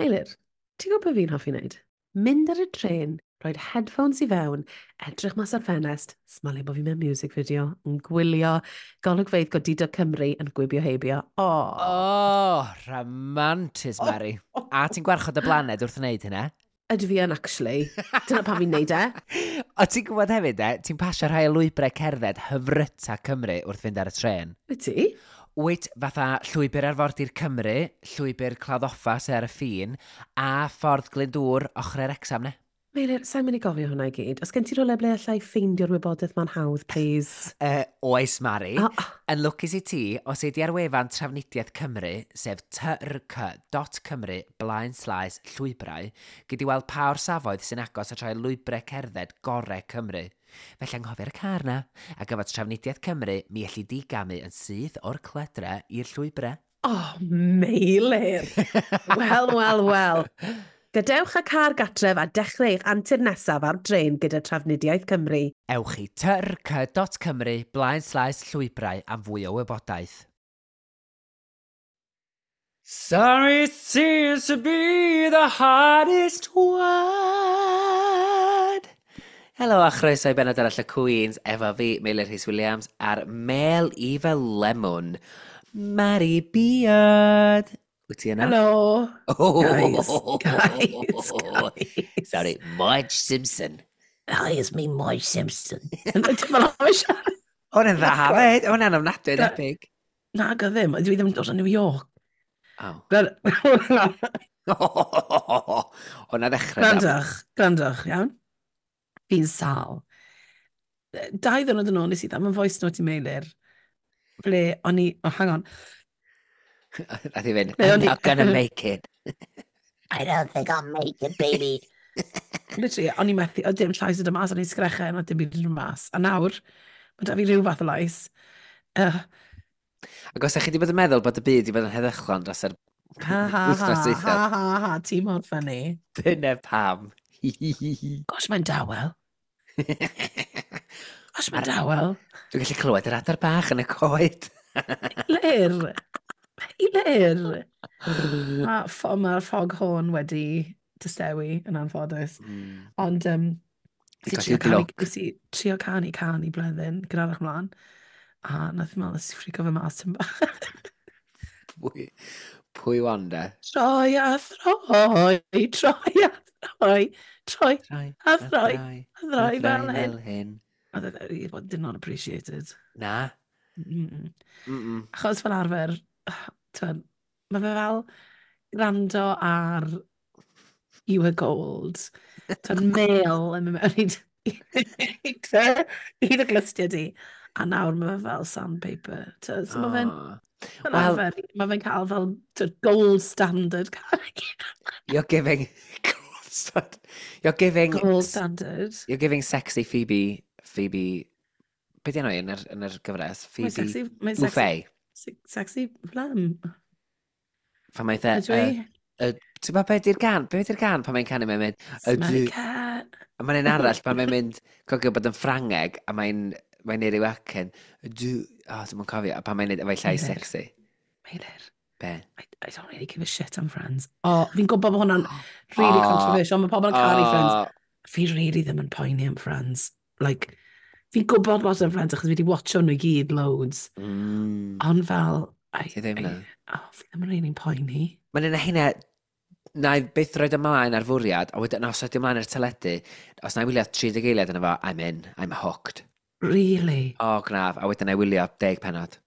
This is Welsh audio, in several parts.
Meilir, ti'n gwybod beth fi'n hoffi wneud? Mynd ar y trên, rhoi headphones i fewn, edrych mas ar ffenest, smalio bod fi mewn music video, yn gwylio golygfeydd godidog Cymru yn gwibio heibio. Oh. Oh, rhamantus, Mari. A ti'n gwarchod y blaned wrth wneud hynna? Ydw fi yn, actually. Dyna pam fi'n neud e. O, ti'n gwybod hefyd, e, ti'n pasio rhai o lwybrau cerdded hyfryta Cymru wrth fynd ar y trên. Wyt ti? Wyt, fatha llwybr arfordir Cymru, llwybr Claddoffa sy ar y ffin, a ffordd Glyndŵr ochr yr Wrecsam, ne? Meilir, sa'n mynd i gofio hwnna i gyd. Os gen ti rhywle ble allai ffeindio'r wybodaeth ma'n hawdd, please? Oes, Mari. Oh. Yn lwcus i ti, os ei di ar wefan Trafnidiaeth Cymru, sef trc.cymru blaen slaes llwybrau, gei di weld pa orsafoedd sy'n agos at rhai lwybrau cerdded gorau Cymru. Felly anghofio'r car na, a gyfod Trafnidiaeth Cymru, mi elli di gamu yn syth o'r cledre i'r llwybrau. Oh, Meilir! Wel, wel, wel. Gadewch y car gatref a dechrau eich antur nesaf ar dren gyda Trafnidiaeth Cymru. Ewch i trc.cymru blaen slaes llwybrau am fwy o wybodaeth. Sorry seems to be the hardest word. Helo a chroeso i benod arall y Queens efo fi, Meilir Rhys Williams, a'r Mel Eva Lemon, Mari Beard. Wyt ti yna? Helo! Oh. Guys, guys, guys. Sorry, Marge Simpson. Hi, it's me, Marge Simpson. Ti'n meddwl am y siarad? Hwn yn dda hefyd, hwn yn ofnadwy debyg. Na, go ddim. Dwi ddim yn dod o New York. Oh. Gwrandwch, Hwna ddechrau. da. gwrandwch, iawn? Fi'n sal. 2 ddiwrnod yn ôl, nes i ddim yn voice note i Meilir. Ble o'n i... Oh, hang on. Nath i fynd, Ble I'm o'n i- not gonna make it. I don't think I'll make it, baby. Literally, o'n i methu, oedd dim llais yn dod mas, o'n i'n sgrechen, oedd dim byd yn dod mas. A nawr, mae da fi rhyw fath o lais. Ac os ydych chi wedi bod yn meddwl bod y byd wedi bod yn heddychlon dros yr Ha ha ha, wythnos ha dwytha, ha ha, ti mor funny. dyna pam. Gosh, mae'n dawel. Gosh, mae'n dawel. Dwi'n gallu clywed yr adar bach yn y coed. Lir. Lir. Mae'r ma foghorn wedi distewi yn anffodus. Ond Di nes i colli trio canu, glwc. nes i trio canu can i Bleddyn gynharach mlaen. A nath i meddwl, nes i ffrico fe mas tym bach. Pwy wan de? Troi a throi, troi a throi, troi Troi, a throi, a throi fel hyn. fel hyn. Oedd e- it did not appreciate it. Na. Achos fel arfer, t'wod, mae fe fel gwrando ar You Were Gold. T'wod, mel yn mynd mewn i dy glustiau di. A nawr mae fe fel sandpaper. T'wod, so mae fe'n Oh. fel Wel- arfer, mae fe'n cael fel, t'wod, gold standard. You're giving... Gold standard. You're giving... Gold standard. You're giving sexy Phoebe... Phoebe... Be di enw hi yn yr gyfres? Mae'n Phoebe sexy, mae'n sexy, Buffay. sexy phlegm. Pan mae'n dde... Ydw i? Ti'n gwybod be di'r gan? Be di'r gan pan mae'n canu mae'n mynd? Smelly Ydw. cat. A mae'n un arall pan mae'n mynd, cogio bod yn Ffrangeg, a mae'n neud ryw acen. Ydw. O, oh, dwi'n cofio. A pan mae'n neud efo'i llais Meilir. sexy. Meilir. Be? I don't really give a shit am Friends. O, oh, fi'n gwybod bod hwnna'n really controversial. Mae pobl yn caru Friends. Fi really ddim yn poeni am Friends. Like, fi'n gwybod lot am Friends achos fi wedi watcho nhw i gyd loads. Ond fel... I, Ti ddim I, na? Oh, fi ddim yn really poeni. Mae'n un o hynna, na i byth roed ymlaen ar fwriad, a wedyn os ydy ymlaen ar teledu, os na i wylio 30 eiliad yna fo, I'm in, I'm hooked. Really? O, gnaf, a wedyn na i wylio 10 penod.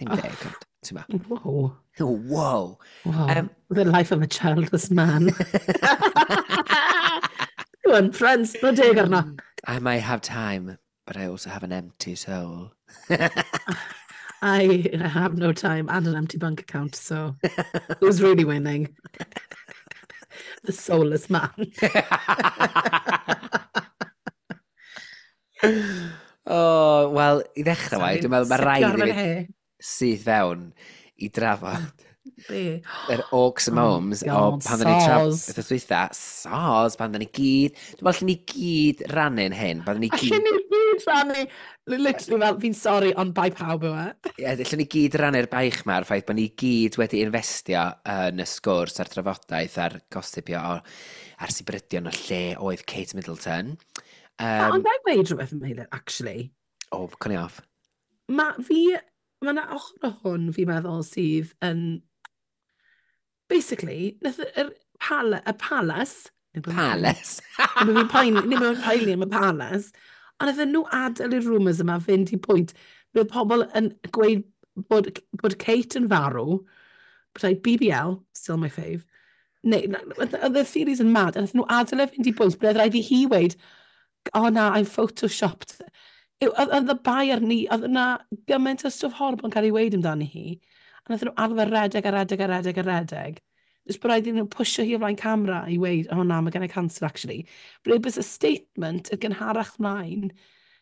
Dim Oh. 10, ond, ti'n ma. Whoa. Wow. Wow. The life of a childless man. Go on, Friends, no deg arno. I might have time, but I also have an empty soul. I have no time and an empty bank account, so who's really winning? The soulless man. Oh, wel, i ddechrau wai, dwi'n meddwl mae rhaid i fi fi syth fewn i drafod Be? Yr Orcs and Oh Momes, o God, pan dda ni traf... soz. Wythnos dwytha, soz, pan dda ni gyd. Dwi'n meddwl allan ni gyd rannu'n hyn, pan ni Allen gyd. ni gyd rannu, literally fel, fi'n sori, ond bai pawb yw e. Ie, allan ni gyd rannu'r baich ma, a'r ffaith bod ni gyd wedi investio yn y sgwrs a'r trafodaeth a'r gossipio o, a'r sibrydion o lle oedd Kate Middleton. Ond ga i weud rhywbeth am hynny, actually? O, oh, cwn i off. Mae yna ochr o hwn, fi'n meddwl, sydd yn. Basically, nath y palace. Palace. Nid bod fi'n poeni, nid bod fi'n poeni am y palace, ond nath nhw adael i'r rumours yma fynd i pwynt ble pobl yn gweud bod Kate yn farw, bod BBL, still my fave, neu, oedd y theories yn mad, a nath nhw adael e fynd i bwynt ble oedd rhaid i hi weud, "Oh na, I'm photoshopped." Oedd y bai ar ni, oedd yna gymaint o stwff horrible yn cael ei weud amdani hi, a nath nhw arfer redeg a redeg a redeg a redeg. Jyst bod rhaid iddyn nhw pwysio hi o flaen camera i weud, "Oh na, mae gen i cancer actually." But it was a statement y gynharach mlaen,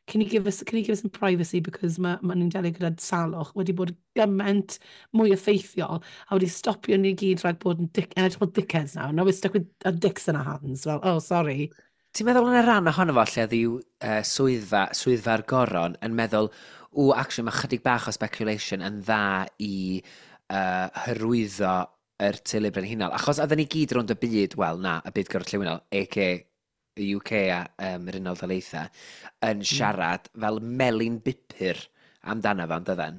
Can you give us some privacy because ma nhw'n delio gyda salwch," wedi bod gymaint mwy effeithiol a wedi stopio ni gyd rhag bod yn dick, yn edrych fel dickheads now. Now we're stuck with our dicks in our hands. Well, oh, sorry. Ti'n meddwl yn y rhan ohono fo lle oedd i'w swyddfa'r goron yn meddwl, "Ww, actually mae chydig bach o speculation yn dda i hyrwyddo yr teulu brenhinol"? Achos oedden ni gyd rownd y byd, wel na, y byd gorllewinol, a.k.a. y UK a yr Unol Daleithiau, yn siarad fel melyn bupur amdano fo, yn?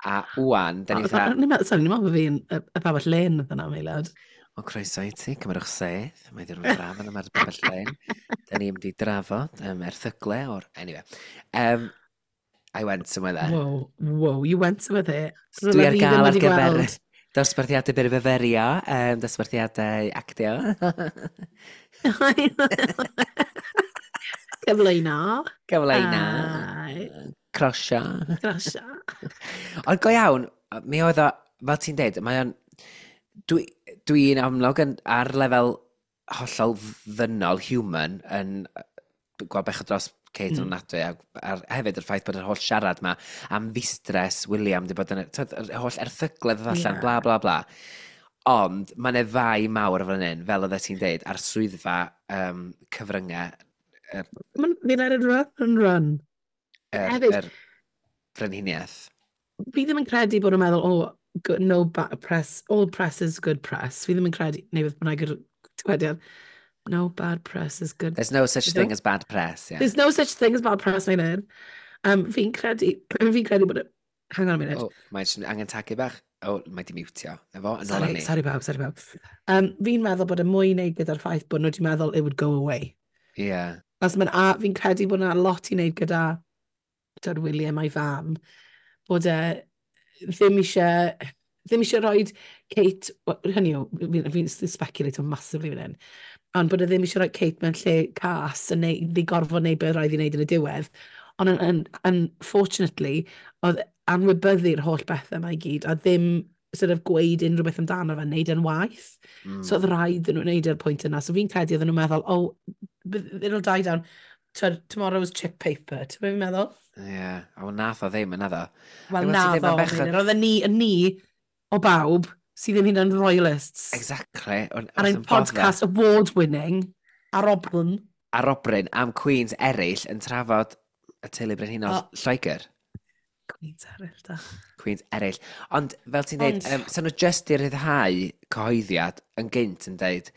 A wwan, da ni fatha. Sorry, ni'n meddwl bod fi'n y babell lên oedd yna, Meilad. O, croeso i ti, cymerwch sedd. Mae diwrnod braf yn yma'r babell lên. Da ni'n mynd i drafod erthygle o'r. Anyway. I went somewhere there. Whoa, you went somewhere there. Dwi ar Rywle fi ddim gael ar wedi gyfer gweld. dosbarthiadau byrfyfyrio, dosbarthiadau actio. Cyflwyno. Cyflwyno. Ai. Crosio. Crosio. Ond go iawn, mi oedd o, fel ti'n deud, mae o'n. Dwi'n amlwg yn, ar lefel hollol ddynol, human, yn gweld bechod dros Kate ofnadwy, a hefyd yr ffaith bod yr holl siarad ma am fustres William di bod yn, t'od, yr holl erthygledd ddod allan, bla bla bla. Ond mae yna fai mawr fan hyn, fel oeddet ti'n deud, ar swyddfa cyfryngau They let it run and run. Hefyd, yr frenhiniaeth. Fi ddim yn credu bod nhw'n meddwl, "Oh, good, no press, all press is good press." Fi ddim yn credu, neu beth bynnag yw'r dywediad. No bad press is good. There's no such Is thing it? as bad press, yeah. There's no such thing as bad press, mae'n. Fi'n credu bod. Hang on a minute. Oh, mae'n jyst angen tagu bach. Oh, mae di mutio. Na fo, yn ôl Sorry, ni. Sorry bawb, sorry bawb. Fi'n meddwl bod y mwy i wneud gyda'r ffaith bod nhw wedi meddwl it would go away. As fi'n credu bod yna lot i wneud gyda dod William a'i fam, bod e ddim eisiau rhoi Kate, hynny yw, fi'n speculate massively fan hyn, ond bod e ddim eisiau rhoi Kate mewn lle cas yn neu, di gorfod wneud beth rhaid i wneud yn y diwedd. Ond unfortunately, oedd anwybyddu'r holl bethau yma i gyd, a ddim sort of gweud unrhyw beth amdano fe, wneud yn waith. So oedd rhaid iddyn nhw wneud e'r pwynt yna. So fi'n credu oedden nhw'n meddwl, "Oh, it'll die down. Tomorrow's chip paper." Ti'n beth fi'n meddwl? Ie, yeah. A nath o ddim yn naddo. Wel, Fel na ti'n deud, ddo, ma'n bechod. Meinir. Oedden ni o bawb, sydd ddim hyd yn royalists. Exactly. Ar ein podcast award-winning, arobryn. Arobryn am Queens eraill yn trafod y teulu brenhinol Lloegr. Queens eraill, da. Queens eraill. Ond fel ti'n dweud, so nhw just i ryddhau cyhoeddiad yn gynt yn dweud,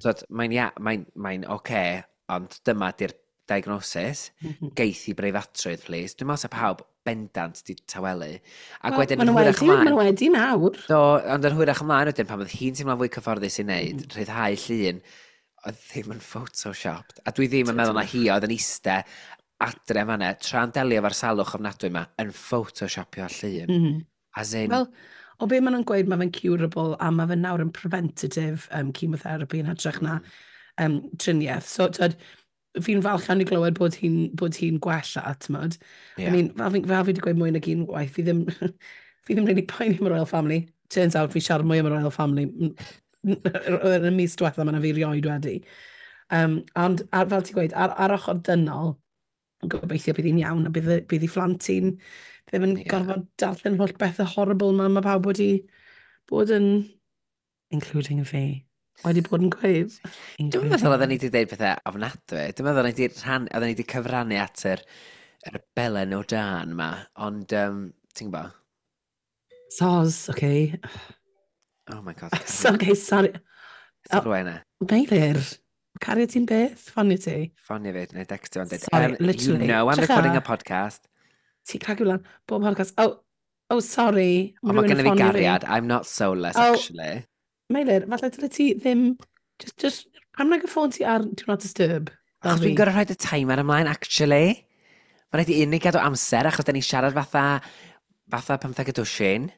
twod, mae'n mae oce, ond dyma di'r diagnosis, geith i breifatrwydd, please. Dwi'n meddwl sa pawb bendant di tawelu. Ac Wel, wedyn ma' yn nhw hwyrach wedi, ma' ymlaen, nhw wedi nawr. Do, ond yn hwyrach ymlaen wedyn, pan oedd hi'n teimlo'n fwy cyfforddus i wneud, rhyddhau llun, oedd ddim yn photoshopped. A dwi ddim yn meddwl na hi oedd yn iste adre fan'na, tra'n delio efo'r salwch ofnadwy yma, yn photoshopio llun. As in, Wel, o be maen nhw'n gweud, mae fe'n curable a mae fe nawr yn preventative chemotherapy yn hytrach na triniaeth. So, tyd, fi'n falch iawn i glywed bod hi'n gwella, t'mod. I mean, fel fi wedi gweud mwy nag un waith, fi ddim really poeni am y Royal Family. Turns out fi siarad mwy am y Royal Family yn y mis diwetha yma na fi rioed wedi. Ond fel ti'n gweud, ar ochr dynol, gobeithio bydd hi'n iawn a bydd hi phlant hi'n ddim yn gorfod darllen holl bethau horrible ma mae pawb wedi bod yn, including fi, wedi bod yn gweud. Dwi'n meddwl oedden ni wedi dweud pethau ofnadwy. Dwi'n meddwl oedden ni wedi cyfrannu at yr belen o dan ma, ond ti'n gwybod? Soz, okay. Oh my God. So, okay, sorry. Ti'n rhywun e? Meilir, cario ti'n beth? Ffonio ti? Ffonio fi, neu decstio yn dweud. Sorry, literally. You know I'm recording a podcast. Ti'n cragu lan, bob podcast. Oh, sorry. Ond mae gennym fi gariad. I'm not soulless, actually. Meilir, falle dyle ti ddim... Just, pam nag y ffôn ti ar Do Not Disturb? Achos dwi'n gorau rhoi y timer ymlaen, actually. Mae rhaid i unig gadw amser, achos da ni'n siarad fatha 15 y dwsin.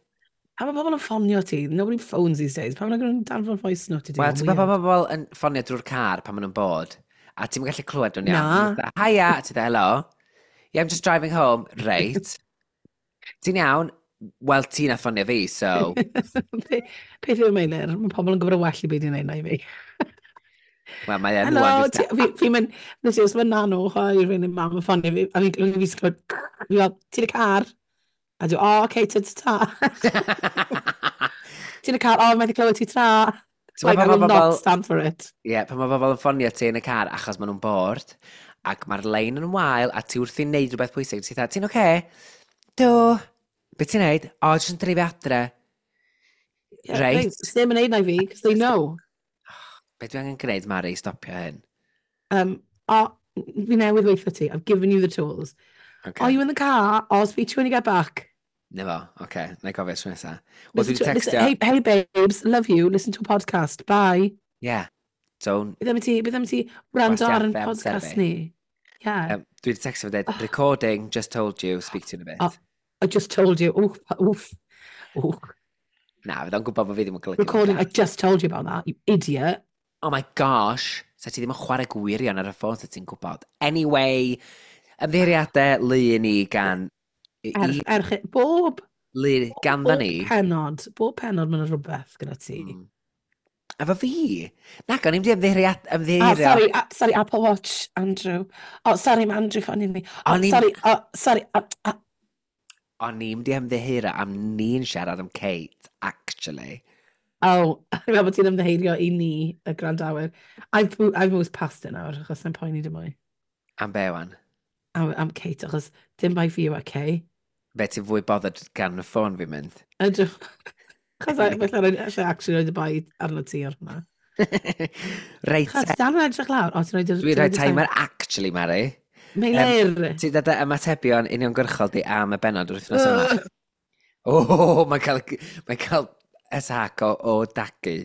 A mae pobl yn ffonio ti. Nobody phones these days. Pam nag nhw'n danfon voice note i ti? Wel, ti'n gwybod pobl yn ffonio drwy'r car pan maen nhw'n bod, a ti'n gallu clywed nhw'n iawn. Na. Hiya, a ti'n dweud, hello. Yeah, I'm just driving home. Reit. Ti'n iawn? Wel, ti'n a ffonio fi, so... Peth yw'r Meilir, mae pobl yn gwybod y well i beth i'n neud na i fi. Wel, mae e'n Hello, fi'n mynd, nes i os mae nano, hoi, rhywun yn mam yn ffonio fi, a fi'n fi clywed, fi fel, ti'n y car? A dwi'n, oh, okay, ta ta ta. Ti'n y car, oh, mae'n clywed ti tra. Like, I will not stand for it. Ie, yeah, pan mae bobl yn ffonio ti yn y car achos maen nhw'n bored, ac mae'r lein yn wael, a ti wrthi'n neud rhywbeth pwysig, ti'n dweud, ti'n oce? Okay? Do. Be ti'n neud? O, jyst yn dreifio adre. Yeah, reit. Ddim yn neud na i fi, because they know. Be dwi angen gwneud, Mari, i stopio hyn? O, fi newydd weithio ti. I've given you the tools. Okay. Are you in the car? I'll speak to you when you get back. Na fo, oce. Okay. Na i gofio tro nesa. Wel, dwi wedi textio... Hey, babes, love you. Listen to a podcast. Bye. Yeah. Don't... Bydd am ti wrando ar yn podcast ni. Yeah. Dwi wedi textio fo dweud, recording, just told you, speak to you in a bit. Oh, I just told you. Oof, oof, oof. Na, fydd o'n gwybod bod fi ddim yn golygu. Recording, I just told you about that, you idiot. Oh my gosh, sa ti ddim yn chwarae gwirion ar y ffôn, sa ti'n gwybod. Anyway, ymddiheuriadau lu i ni gan... Erch, bob... Lu ganddo ni. Bob penod mae'n rhywbeth gyda ti. Efo fi? Na, o'n i'n di ymddiheuriad... Oh, sorry, Apple Watch, Andrew. Oh, sorry, mae Andrew ffonio fi. Oh, sorry, sorry. O'n i'n di ymddiheurio am ni'n siarad am Kate, actually. Oh, fi'n meddwl bod ti'n ymddiheurio i ni, y gwrandawyr. I've moved past it nawr, achos I'm poeni dim mwy. Am be, wan? Am Kate, achos dim bai fi yw e, Kay. Be ti'n fwy bothered gan y ffôn fi'n mynd? Ydw. Achos felly allai actually roed y bai arno ti ar hwnna. Reit. Chos dal yn edrych lawr. O, ti'n rhoi... Dwi'n rhoi timer actually, Mari. Meilir! Ti'n dod ymatebion uniongyrchol di am y bennod wythnos yma. O, mae'n cael attack o dagu.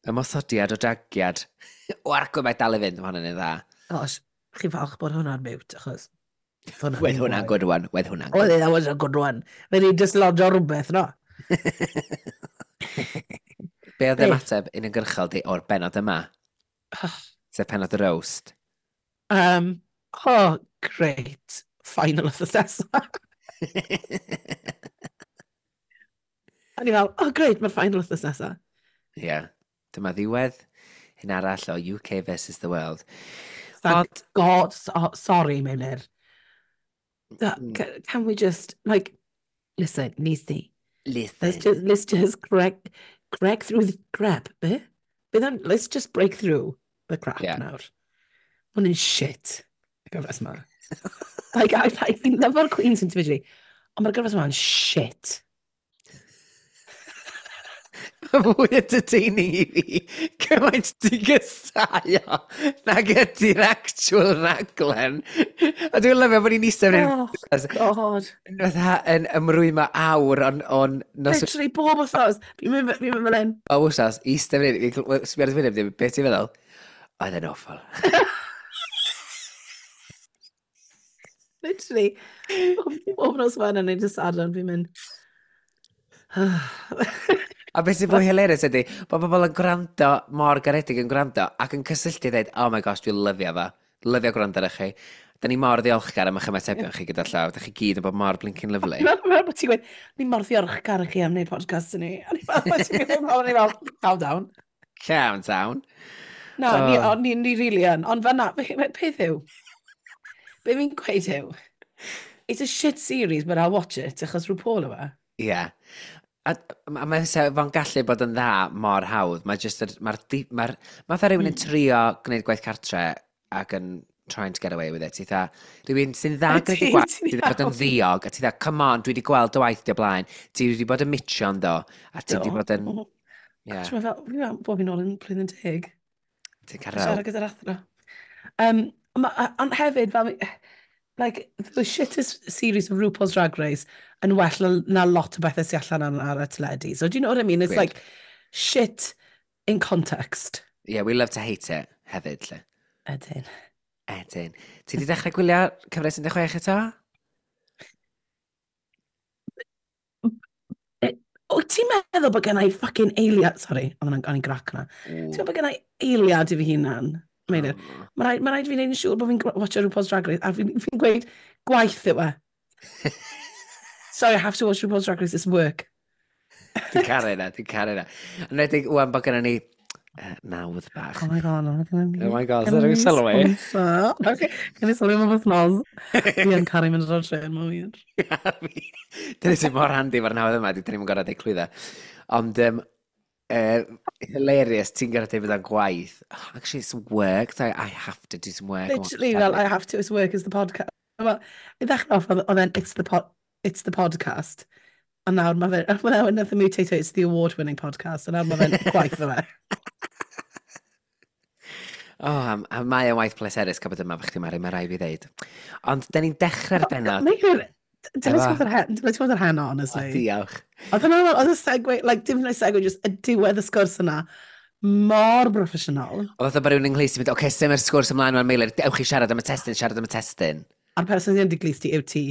Ymosodiad o dagiad. O, argwy mae dal i fynd, mae hwnna'n un dda. Oes, chi'n falch bod hwnna'n mute, achos... Wedd hwnna'n good one, wedd hwnna'n good one. That was a good one. Fe ni'n dislodio rhywbeth, no? Be oedd ymateb uniongyrchol di o'r bennod yma? Sef pennod y roast. Oh, great. Final of the nesa. A ni fel, oh great, mae'r final wythnos nesa. Ie. Yeah. Dyma ddiwedd hyn arall o UK versus the world. Thank God, sorry, Meilir. Can we just, like, listen, Lizzie. Listen. Let's just crack through the crap, be? Let's just break through the crap nawr. Hwn yn shit, y gyfres yma. Like, I fi'n lyfo'r Queens individually, ond mae'r gyfres yma'n shit. Mae fwy entertaining i fi cymaint ti'n gysau o nag ydy'r actual raglen. A dwi'n lyfio bod ni'n eistedd fan hyn. Oh, God. Fatha yn ymrwymo awr o'n... Literally, bob wythnos. Fi'n mynd fel hyn. O, wythnos, eistedd fan hyn. Sbio ar y wyneb, beth ti'n feddwl? Oedd e'n awful. Literally, bob nos Wener neu dydd Sadwrn, fi'n mynd... A beth sy'n fwy hilarious ydy, bod pobl yn gwrando, mor garedig yn gwrando, ac yn cysylltu dweud, oh my gosh, dwi'n lyfio fo. Lyfio gwrando ar chi. Da ni mor ddiolchgar am eich ymatebion chi gyda llaw. Da chi gyd yn bod mor blinking lovely. Dwi'n meddwl bod ti'n gweud, ni mor ddiolchgar i chi am wneud podcast i ni. A ni fel, calm down. Calm down. Na, ni really yn. Ond fan'na, peth yw, be fi'n gweud yw, it's a shit series, but I'll watch it, achos rhyw Paul yw e. Ie. Yeah. A mae fo'n gallu bod yn dda mor hawdd. Mae just, mae'r, mae'r, mae fatha rhywun yn trio gwneud gwaith cartre ac yn trying to get away with it. Ti tha, rhywun sy'n dda gwneud y gwaith, ti wedi bod yn ddiog, a ti tha, "Come on, dwi wedi gweld dy waith di o blaen, ti wedi bod yn mitio'n do, a ti wedi bod yn." Yeah. Mae fel, fi'n fel bod fi'n ôl yn blwyddyn 10. Ti'n cael Siarad gyda'r athro. Ond hefyd, fel, like, the shittest series of RuPaul's Drag Race yn well na lot o bethau sy'n allan ar y teledu. So do you know what I mean? It's like shit in context. Yeah, we love to hate it hefyd, lle. Ydyn. Ydyn. Ti wedi dechrau gwylio cyfres 16 eto? Wyt ti'n meddwl bod gen i fucking eiliad? Sorry, oedd o'n i'n grac na. Ti'n meddwl bod gen i eiliad i fi hunan? Meilir. Oh. Mae rhaid fi wneud yn siŵr bod fi'n watcho RuPaul's Drag Race, a fi'n gweud gwaith yw e. "Sorry, I have to watch RuPaul's Drag Race, it's work." Dwi'n caru na, dwi'n caru na. Yn enwedig wan bod gennym ni nawdd bach. Oh my God, oh my God. Oh my God, is that rhyw sylwi? Okay, gen i sylwi am y wythnos. Fi yn caru mynd ar trên, mae'n wir. Dyna sy'n mor handi fo'r nawdd yma, dyn ni'n gorau deud clwydda. Ond, hilarious, ti'n gorau deud bod o'n gwaith. Oh, actually, it's work, so I have to do some work. Literally, well, I have to, it's work is the podcast. Well, i ddechrau off, oedd e'n it's the podcast. A nawr mae fe, well, nath e mutate to it's the award-winning podcast, a nawr mae fe'n gwaith o fe. Oh, a mae o'n waith pleserus cael bod yma fo chdi, Mari, mae rai fi ddeud. Ond, da ni'n dechrau'r bennod. Dyle ti fod ar heno, honestly. O, diolch. Oedd hwnna, oedd y segue, like, dim yn segue, just y diwedd y sgwrs yna, mor broffesiynol. Oedd fatha bod rhywun yng nghlust i mynd, "Oce, okay, symud sgwrs ymlaen wan, Meilir, ewch i siarad am y testun, siarad am y testun." A'r person sy'n dy glust ti yw ti.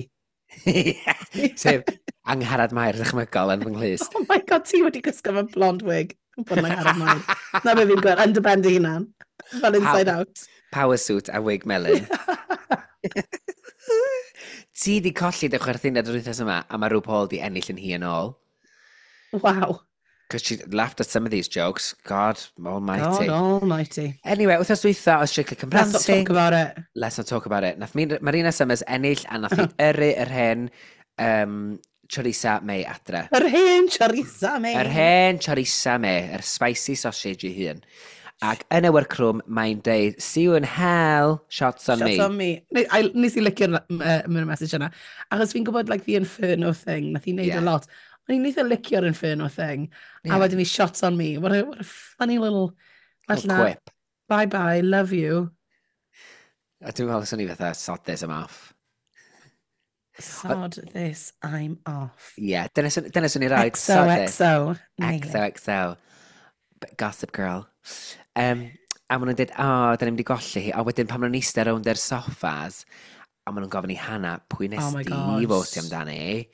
Sef Angharad Mair ddychmygol yn fy nghlust. Oh my God, ti wedi gwisgo fe blonde wig. Bod yn Angharad Mair. Na be fi'n gweld, yn dy ben dy hunan. Fel Inside Out. Power suit a wig melyn. Ti di colli dy chwerthinad yr wythnos yma, a mae RuPaul di ennill yn hi yn ôl. Wow. Because she laughed at some of these jokes. God almighty. God almighty. Anyway, wythnos dwytha o Strictly Come Let's not Dancing. talk about it. Let's not talk about it. Nath Marina Summers ennill a nath hi yrru yr hen Choriza May adre. Yr hen Choriza May. Yr hen Choriza May, yr spicy sausage ei hun. Ac yn y workroom, mae'n deud, "See you in hell, shots on Shots me." on me. Nes i licio'r message yna. Achos fi'n gwybod, like, the inferno thing, nath hi wneud a lot. O'n i'n eitha licio'r inferno thing. A wedyn ni "shots on me." What a funny little... Little Fel 'na, quip. "Bye bye, love you." A dwi'n meddwl swn i fatha, "Sod this, I'm off." "Sod this, I'm off." Ie, yeah, dyna swn i roid. "Sod this." XOXO. Nail it. XOXO. Gossip Girl. A maen nhw'n dweud, "O, oh, da ni'n mynd i golli hi." A wedyn pan maen nhw'n eistedd rownd yr soffas, a maen nhw'n gofyn i Hannah, "Pwy nes Oh my di God. fotio amdani?"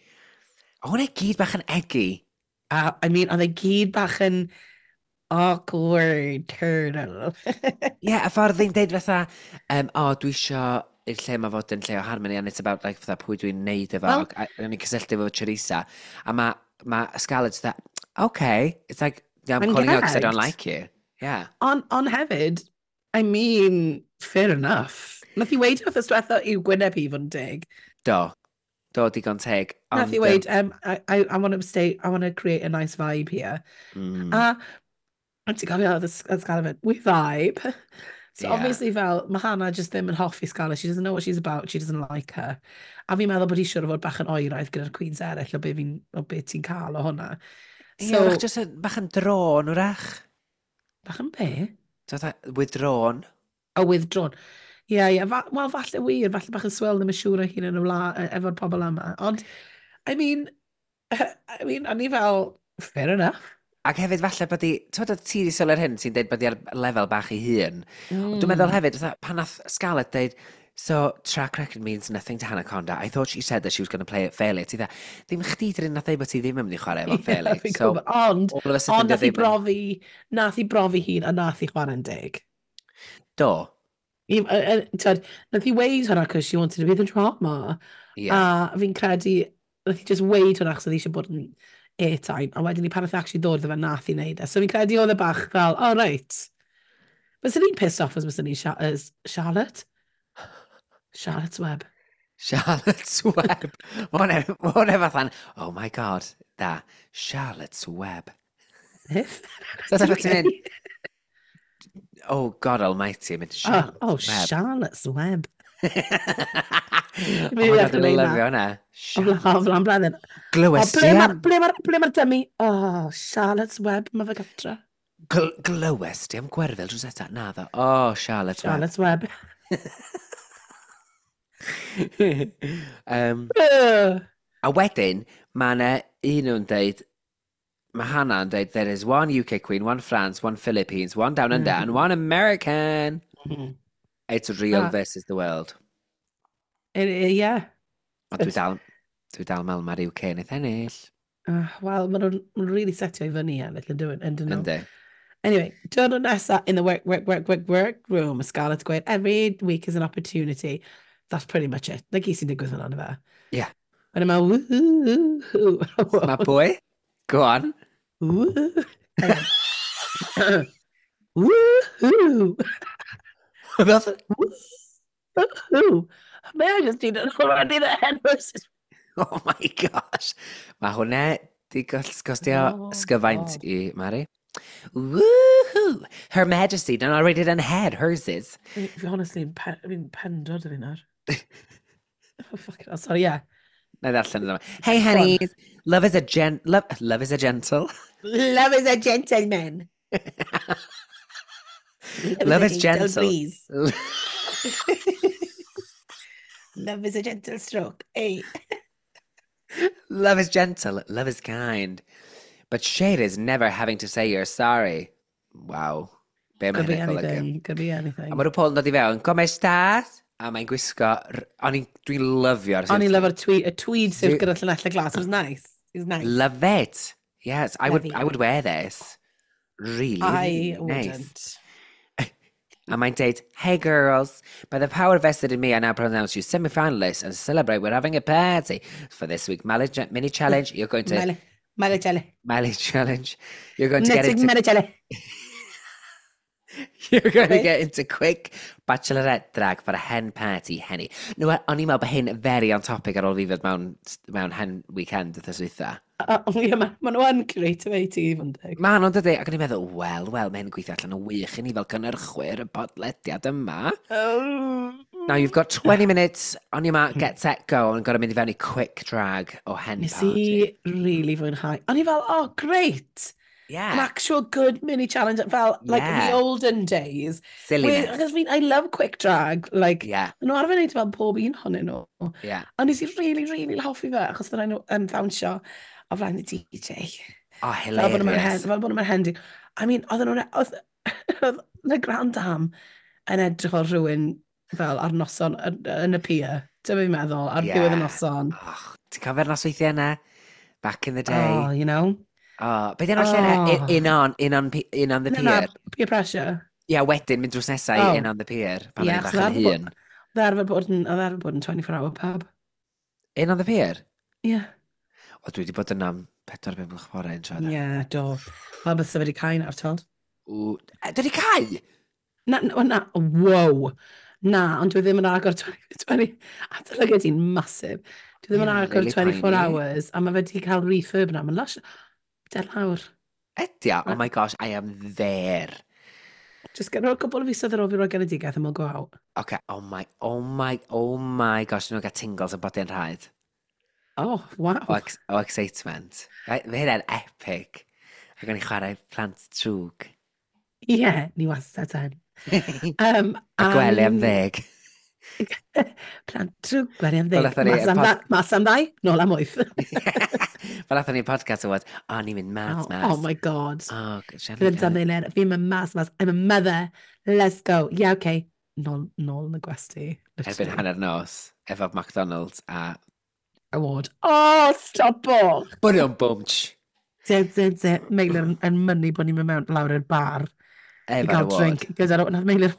O, hwnna i gyd bach yn eggy. A, I mean, oedd e gyd bach yn awkward turtle. Ie, yeah, a ffordd ddi'n deud fatha, "O, dwi isio i'r lle ma fod yn lle o harmony, and it's about, like, fatha, pwy dwi'n neud efo," Wel- a o'n i'n cysylltu efo Choriza. A ma Scarlett fatha, "Okay," it's like, "Yeah, I'm I'm calling you out because I don't gagged. like you." Yeah. Ond hefyd, I mean, fair enough. Nath i weid wrth diwetha i'w gwyneb hi fod yn dig. Do. Do, digon teg. Nath i weid, "I want to stay, I want to create a nice vibe here." A ti'n cofio oedd y Scarlett went, "We vibe." So obviously fel, mae Hannah just ddim yn hoffi Scarlett. She doesn't know what she's about. She doesn't like her. A fi'n meddwl bod hi siŵr o fod bach yn oeraidd gyda'r queens eraill o be ti'n cael o hwnna. So, So, yeah, just bach yn drawn, wrach. Bach yn be? Fatha, withdrawn. A withdrawn. Ie. Wel, falle wir, falle bach yn swil ddim yn siŵr o hun yn y wla efo'r pobl yma. Ond, I mean, o'n i fel, fair enough. Ac hefyd falle bod i, ti'n meddwl ti wedi sylwi'r hyn sy'n deud bod i ar lefel bach ei hun. Mm. Dwi'n meddwl hefyd, fatha, pan nath Scarlett deud, "So track record means nothing to Hannah Conda. I thought she said that she was going to play it fairly." Ti dda, ddim chdi dyn nath ddeud bod ti ddim yn mynd i chwarae efo'n fairly. Fi'n So, gwybod. Ond, all of a sudden, ond nath i dio ddim yn- brofi, nath i brofi hun a nath i chwarae'n deg. Do. T'wod, nath i weid hwnna because she wanted to be the drama. Yeah. A fi'n credu, nath i just weid hwnna achos oedd hi eisiau bod yn airtime. A wedyn ni pan nath i actually ddod iddo fe, nath i wneud e. So fi'n credu oedd e bach fel, "Oh right." Byswn i'n pissed off as byswn i'n as Charlotte. Charlotte's Web. Charlotte's Web. Mae hwnna fatha'n, oh my God, da, Charlotte's Web. Beth? So that's ti'n mynd, oh God almighty, mynd Charlotte's oh, Web. Charlotte's Web. Oh my God, dwi'n lyfio hwnna. O flan blwyddyn. Glywes ti am... Ble mae'r dummy? Oh, Charlotte's Web, mae fe gatra. Glywes ti am Gwerfyl drws nesa? Na ddo. Oh, Charlotte's Web. Charlotte's Web. A wedyn, mae yna un nhw'n deud, mae Hannah yn deud, there is one UK Queen, one France, one Philippines, one Down Under, and one American. It's real versus the world. Yeah. Ond dwi dal meddwl mae'r UK yn eith ennill. Wel, maen nhw'n really setio i fyny ennill, yn dyn nhw? Yndi. Anyway, diwrnod nesa in the work, work, work, work, work room, Scarlett gweud, every week is an opportunity. That's pretty much it. Na gyd sy'n digwydd fel yna fe. Yeah. Wedyn mae woohoo. Mae pwy? Go on. Woo. Woohoo. Woohoo. Mae just di already the head versus. Oh my gosh. Mae hwnna di gostio sgyfaint i Mari. Woohoo! Her Majesty done already done had hers is. Fi honestly, fi'n pendod o fi nawr. Oh, fuck it, sorry, yeah. Na ddarllen yma. Hey honeys, love is a gen... Love is a gentle. Love is a gentleman. Love is gentle. Breeze. Love is a gentle stroke. Hey. Love is gentle. Love is kind. But shade is never having to say you're sorry. Wow. Be mae Could be hynny'n golygu? anything. Could be anything. A mae RuPaul yn dod i fewn, come estas? A mae'n gwisgo... Dwi'n lyfio'r O'n i'n lyfio'r tweed, y tweed suit gyda llinellau glas. It was nice. It was nice. Love it. Yes, I would, Lovey. I would wear this. Really, I really nice. wouldn't. A mae'n deud, hey girls, by the power vested in me, I now pronounce you semi-finalists and celebrate we're having a party. For this week, mini challenge, you're going to... Mele chele. Mele challenge. You're going to get Next into... mele chele. You're going to Okay. get into quick bachelorette drag for a hen party, henny. No, o'n i'n meddwl bod hyn very on topic ar ôl fi fod mewn hen weekend wythnos dwytha. Ie, ma nhw yn creative i ti, fod yn deg. Ma nhw'n dydy, ac o'n i'n meddwl, wel, mae hyn yn gweithio allan yn wych i ni fel cynhyrchwyr y podlediad yma. Oh. Now you've got 20 minutes on your mark, get set, go, and got to mynd i fewn i quick drag o hen Nes party. i really fwynhau. O'n i fel, oh, great! An actual good mini challenge, fel, like, the olden days. Silliness. Achos I love quick drag, like, nhw arfer wneud fel pob un ohonyn nhw. A nes i really, really hoffi fe, achos fydden nhw yn ddawnsio o flaen y DJ. Oh, Fel bod nhw'n hilarious. fel bod nhw'n hendy. I mean, oedden nhw'n... Oedd y Grand Dame yn edrych o rhywun fel ar noson yn y pier. Dyma fi'n meddwl, ar ddiwedd y noson. Oh, ti'n cofio'r nosweithiau yna? Back in the day. Oh, you know? Oh, be di enw'r lle yna? In on the Na, Pier. na, peer pressure. Ie, yeah, wedyn mynd drws nesaf i In on the Pier, pan o'n i'n bach yn hŷn. Oedd arfer bod yn, oedd arfer bod yn 24-hour pub. In on the Pier? Ie. Yeah. O, dwi wedi bod yna am 4-5 gloch bore yn siarad. Ie, yeah, do. Wel, bys wedi cau nawr, told. Ww, dwi wedi cau? Na, na, na, wow. Na, ond dwi ddim yn agor 20, 20 adolygiad i'n massive. Dwi ddim yn agor really 24 poeni. hours, a mae fe wedi cael refurb na, mae'n lush. Der lawr. Ydy o, oh my gosh, I am there. Just get a couple o fisoedd ar ôl fi roi genedigaeth and we'll go out. Okay, oh my, oh my, oh my gosh, nhw'n cael tingles yn bodi'n rhaid. Oh, wow. O excitement. Mae hynna'n epic. Ac o'n i chwarae plant trwg. Ie, yeah, ni wastad yn. A gwely am 10. Plant trwg, gwely am 10. Fel athon ni Mas am 2, nôl am 8. Fel athon ni podcast award, o, ni'n mynd mas, mas. Oh my God. Oh, Fi'n mynd fi'n mynd mas, mas. I'm a mother. Let's go. Yeah, okay. Nôl yn y gwesty. Erbyn hanner nos, efo McDonald's a... Award. Oh, stop o! Bwrion bwmch. De, de, de. Meilir yn mynnu bod ni'n mynd mewn lawr i'r bar. Efo'r I gael award. drink. Gyda'r... Nath Meilir...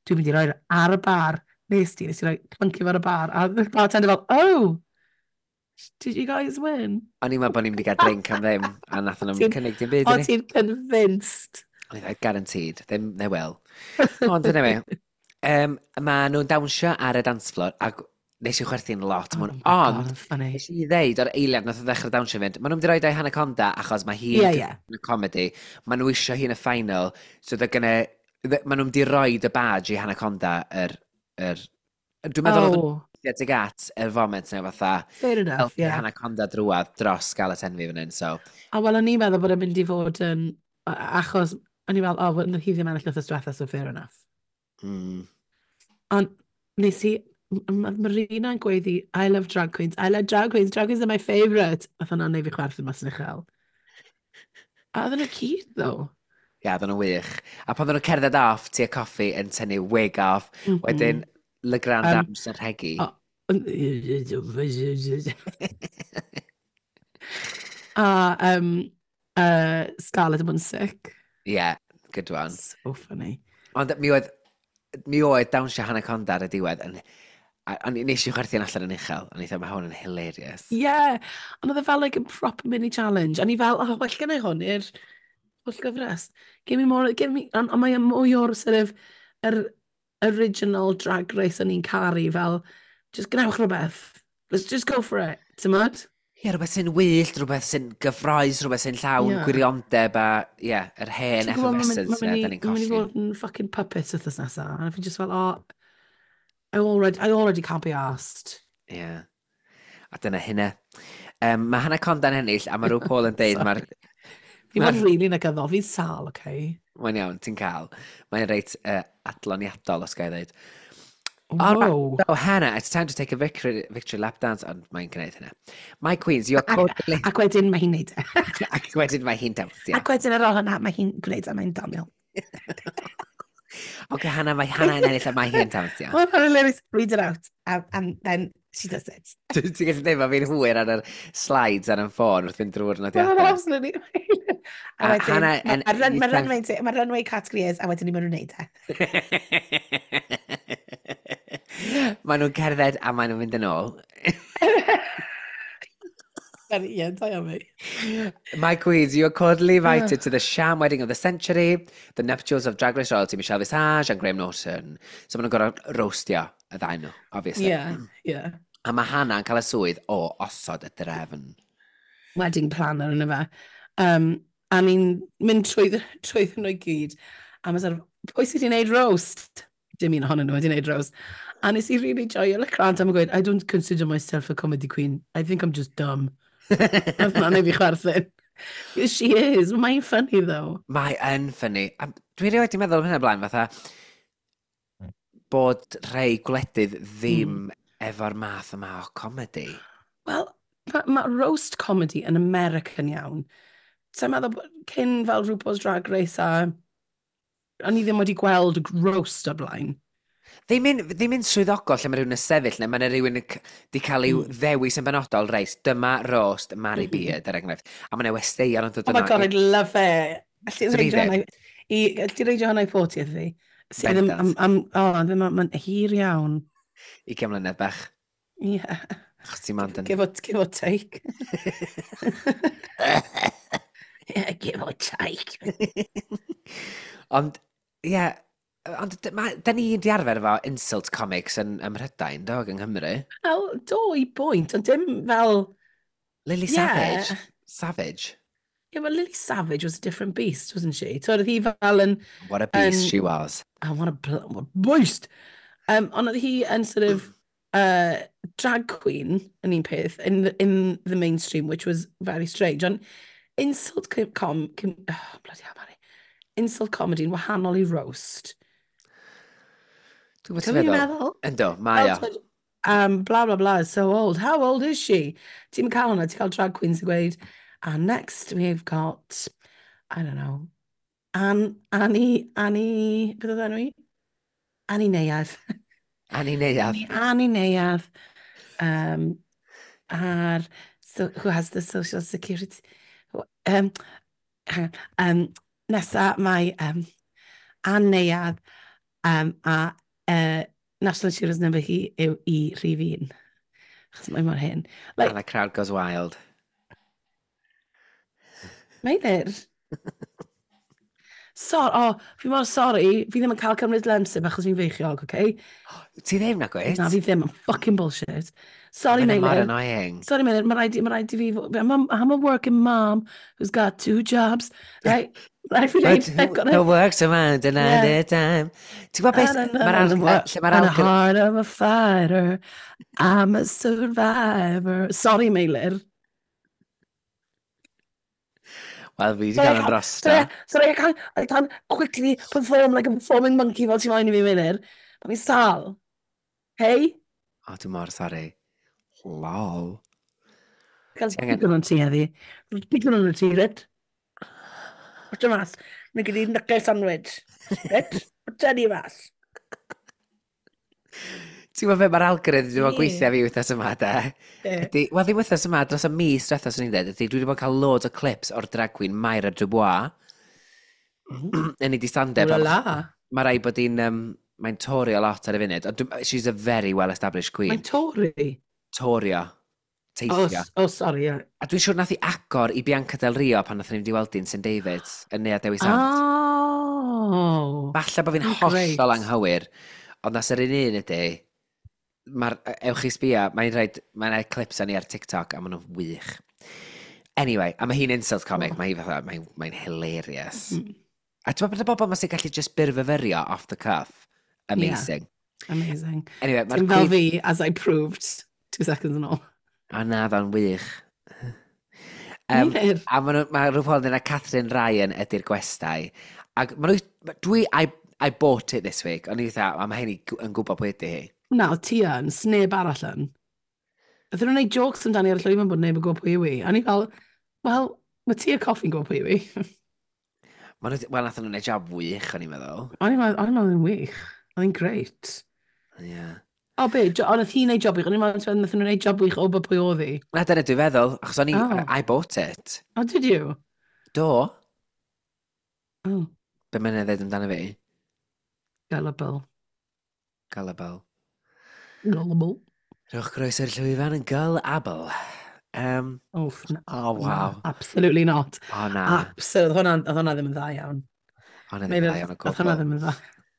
Dwi'n mynd i roi ar y bar. Nes ti, nes i roi clunky fo ar y bar. A the bartender fel, oh, did you guys win? O'n i'n meddwl bod ni'n mynd i gael drink am ddim, a nath nhw'n cynnig dim byd i O, ni. ti'n convinced. O'n i'n guaranteed, ddim, they will. Ond anyway, mae nhw'n dawnsio ar y dance floor, ac Nes i chwerthu'n lot. Oh Oh my God, ond, funny. nes i ddeud o'r eiliad nath o ddechrau dawnsio fynd, maen nhw'n mynd i roid o'i Hannah Conda achos mae hi'n Yeah, yeah. yn y comedy, maen nhw eisiau hi'n y final, so they're gonna, maen nhw'n mynd i roid y badge i Hannah Conda yr, dwi'n meddwl oedd Oh, nhw'n tuag at y foment neu fatha, fair enough, helpu yeah. Hannah Conda drwadd dros Scarlett Envy fan hyn, so. A wel, o'n i'n meddwl bod e'n mynd i fod yn... Achos, o'n i'n meddwl, oh, well, hi ddim ennill wythnos diwetha, so fair enough. Ond nes i... Mae Marina yn gweiddi, "I love drag queens, I love drag queens, drag queens are my favourite." Nath hwnna'n neud fi chwerthin mas yn uchel. A oedden nhw cute, though. Ia, oedden nhw wych. A pan oedden nhw'n cerdded off, Tia Kofi yn tynnu wig off, wedyn Le Grand Dame yn rhegi. Oh. A Scarlett yn bod yn sick. Yeah, good one. So funny. Ond mi oedd dawnsio Hannah Conda ar y diwedd yn... Ond nes i chwerthin allan yn uchel. O'n i dweud, mae hwn yn hilarious. Yeah, ond oedd e fel like a proper mini challenge. A ni fel, oh, well gen i hwn i'r holl gyfres. Give me more, give me... Ond on mae mwy o'r sort of, yr original Drag Race o'n i'n caru fel, just gwnewch rhywbeth. Let's just go for it. Ti'n? Ie, rhywbeth sy'n wyllt, rhywbeth sy'n gyffroes, rhywbeth sy'n llawn gwiriondeb a, ie, yeah, yr hen Ti'n gwybod, effervescence mae'n na, mynd da ni'n i colli. fod yn fucking puppet wythnos nesaf. A fi just fel, oh, I already can't be asked. Ie. Yeah. A dyna hynna. Mae Hannah Conda'n ennill, a mae RuPaul Paul yn deud, mae'r Fi fod really negyddol, fi'n sâl, okay? Mae'n iawn, ti'n cael. Mae'n reit adloniadol, os ga i ddweud. All right, Whoa. so Hannah, it's time to take a victory lap dance, ond mae'n gwneud hynna. My queens, you're cordially. Ac wedyn mae hi'n neud e. Ac wedyn mae hi'n dawnsio. Ac wedyn ar ôl hwnna, mae hi'n gwneud e, mae'n doniol. Oce, Hannah, mae Hannah yn ennill a mae hi'n dawnsio. Well, hilarious. Read it out. And then she does it. Ti'n gallu dweud, mae fi'n hwyr ar yr slides ar y ffôn wrth fynd drwy'r Well, nodiadau. absolutely. A A wedyn, Hannah yn mae runway category is, a wedyn ni maen nhw'n neud e. Maen nhw'n cerdded a maen nhw'n mynd yn ôl. Ie, da iawn fi. My queens, you are cordially invited to the sham wedding of the century, the nuptials of Drag Race royalty Michelle Visage and Graham Norton. So maen nhw'n gorfod roastio y ddau nhw, obviously. Yeah. A mae Hannah yn cael y swydd o osod y drefn. Wedding planner yna fe. A ni'n mynd trwy nhw i gyd. A mae sort of, pwy sydd wedi gwneud roast? Dim un ohonyn nhw wedi gwneud roast. A nes i really joio Le Grand am gweud, "I don't consider myself a comedy queen. I think I'm just dumb." Nath hwnna neud fi chwerthin. She is. Mae'n funny though. Mae yn funny. A dwi rioed wedi meddwl am hynna blaen, fatha bod rhai gwledydd ddim efo'r math yma o comedy. Wel, mae ma roast comedy yn American iawn. Sa'n meddwl bod cyn fel RuPaul's Drag Race a o'n i ddim wedi gweld roast o'r blaen. Ddim yn swyddogol lle mae rhywun yn sefyll, neu mae yna rhywun yn di cael i'w ddewis yn benodol, reit, dyma roast Mary Beard, er enghraifft. A mae yna westeion yn dod Oh my yno God, I'd love it. Alli Swn i reidio ddim. hwnna alli reidio hwnna i 40th fi? Sydd ddim, am, Bendant. am, oh, ddim, mae'n hir iawn. 20 mlynedd bach. Yeah. Achos ti'n mond yn Give or take. Yeah, give or take. Ond, ie, yeah, ond da ni'n di arfer efo insult comics ym Mhrydain, do, yng Nghymru. Wel, do i bwynt, ond dim fel Lily Savage. Savage. Yeah, well, Lily Savage was a different beast, wasn't she? So oedd hi fel yn What a beast Yn she was. Oh, what a beast! Ond oedd hi yn sort of drag queen yn un peth, in the mainstream, which was very strange. Ond insult com, oh, bloody hell, Mari. Insult comedy yn wahanol i roast. Dwi'n gwybod Ti'n ti'n meddwl? meddwl? Ynddo, mae o. Fel, blah, blah, blah, is so old. How old is she? Ti'n cael hwnna, ti'n cael drag queens yn gweud, "And next we've got, I don't know, Annie, Annie, beth oedd enw i? Annie Neuadd." Annie Neuadd. Annie Neuadd, ar, so, who has the social security, hang on, nesa mae Ann Neuadd, a National Insurance number hi yw i rhif 1. Achos mae mor hyn. Like, And the crowd goes wild. Meilir. So, oh, fi mor sorry, fi ddim yn cael cymryd Lemsip achos fi'n feichiog, okay? Ti ddim na gwyt? Na, fi ddim, I'm fucking bullshit. Sorry, Meilir. Meilir. Mor annoying. Sorry, Meilir, mae rhaid i fi... I'm a working mom who's got two jobs, right? Rhaid fi But dweud, I've got the a... work's around another time. Ti'n gwybod beth? Mae'r lle mae'r And a algorithm. heart of a fighter, I'm a survivor. Sorry, Meilir. Wel, fi wedi Sorry, cael I yn can't- drosto. Sorry, I can't quickly perform like a performing monkey fel ti'n moyn i fi, Meilir. Mae fi'n sal. Hey? O, dwi'n mor sorry. Lol. Cael Ti angen- digon o'n ti heddi. Digon o'n ti, reit? What's y mas? Mae gen i knuckle sandwich. Reit? What's any mas? Ti'n gwybod beth mae'r algorithm wedi bod yn Ie. gweithio fi wythnos yma, de? Ydy, wel, ddim wythnos yma, dros y mis diwethaf, swn i'n dweud, ydy, dwi wedi bod yn cael loads o clips o'r drag queen Myra Dubois. Yn ei di stand-up. Ooh la la. Mae rai bod hi'n, mae'n torio lot ar y funud, ond she's a very well-established queen. Mae'n Tory. Torio. Oh, Teithio. oh, sorry, yeah. A dwi'n siŵr nath hi agor i Bianca Del Rio pan nath ni mynd i weld hi'n St David's yn Neuadd Dewi Sant. Oh. Falle bod fi'n Oh, hollol great. anghywir, ond nas yr un un ydy, mae'r, ewch i sbio, mae'n rhaid, mae'n rhaid clips ni ar TikTok a maen nhw'n wych. Anyway, a mae hi'n insult comic, mae hi fatha, mae'n hilarious. A ti'n meddwl bod y bobl yma sy'n gallu just byrfyfyrio off the cuff? Amazing. Amazing. Anyway, mae'r Dim fel queen. fi, as I proved 2 seconds yn ôl. O na, ddo'n wych. Meilir. A mae RuPaul yn dweud na Katherine Ryan ydy'r gwestai. Ac ma nhw, dwi, I bought it this week. O'n i fatha, a mae hynny yn gwybod pwy ydy hi. Na, o ti yn, sneb arall yn. Ydyn nhw'n gwneud jokes amdani ar y llwyfan bod neb yn gwybod pwy yw hi. A ni fel, wel, mae ti a Coffi'n gwybod pwy yw hi. Ma nhw, wel, nath nhw'n gwneud job wych, o'n i'n meddwl. O'n i'n meddwl yn wych. Oedd hi'n great. Yeah. O be, ond oedd hi'n neud job wych. O'n i'n meddwl nath nhw'n neud job wych o bod pwy oedd hi. Na, dyna dwi'n feddwl, achos o'n i, Oh. I bought it. Oh, did you? Do. Oh, Be mae'n ei ddeud amdano fi? Gullible. Gullible. Gullible. Rhowch groeso i'r llwyfan yn Gullible. Oh, na, Oh, wow. na, absolutely not. O, na. Absolutely. Oedd hwnna ddim yn dda iawn. O, na, ddim yn dda iawn o Oedd hwnna gwbl. ddim yn dda.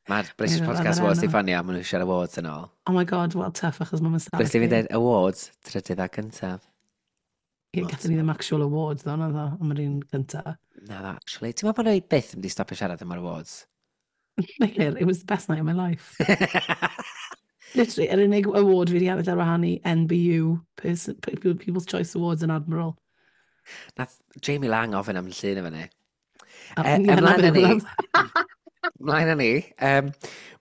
Mae'r British Meilir, Podcast oedd yr Awards di enw. ffonio, maen nhw'n siarad awards yn ôl. Oh my God, well, tough, achos mae'n stafell. Brys fi'n dweud awards, trydydd a cyntaf. Ie, gathon ni ddim actual awards, ddo, na ddo, am yr un gynta. Na, dda, actually. Ti'n meddwl bod nhw byth yn mynd i stopio siarad am yr awards? Meilir, it was the best night of my life. Literally, yr unig award fi wedi ennill ar wahân i NBU, People's Choice Awards yn Admiral. Nath Jamie Lang ofyn am llun efo ni. A- E, ie, na ymlaen â beth ni. oedd hwnna. Ymlaen â ni.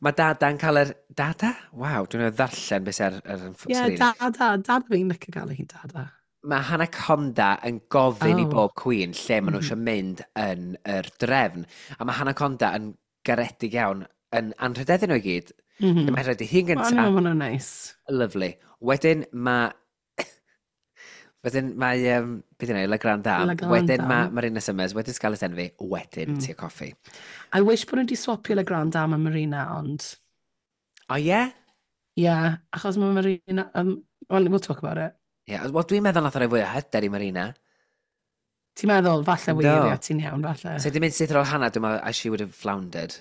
Mae Dada'n cael yr... Dada? Waw, dwi'n meddwl ddarllen beth sy'n ar Ie, sgrin. Dada, Dada fi'n licio gael hi'n Dada. Mae Hannah Conda yn gofyn i bob queen lle maen nhw eisiau mynd yn yr drefn. A mae Hannah Conda yn garedig iawn yn anrhydeddu nhw i gyd. Mae'n rhaid i hi'n Wel, gyntaf. o'n i'n meddwl hwnna'n neis. Lovely. Wedyn mae, beth yna, La Grande Dame. La Grande Wedyn mae Dame. Marina Summers, wedyn Scarlett Envy, wedyn Tia Coffee. I wish bod nhw wedi swapio La Grande Dame a Marina, ond... O oh, ie? Yeah? Yeah, achos mae Marina... Well, we'll talk about it. Yeah. Wel, dwi'n meddwl nath o roi fwy o hyder i Marina. Ti'n meddwl, falle wir, Do. ie, ti'n iawn, falle. So, di mynd syth ar ôl Hannah, dwi'n meddwl, she would have floundered.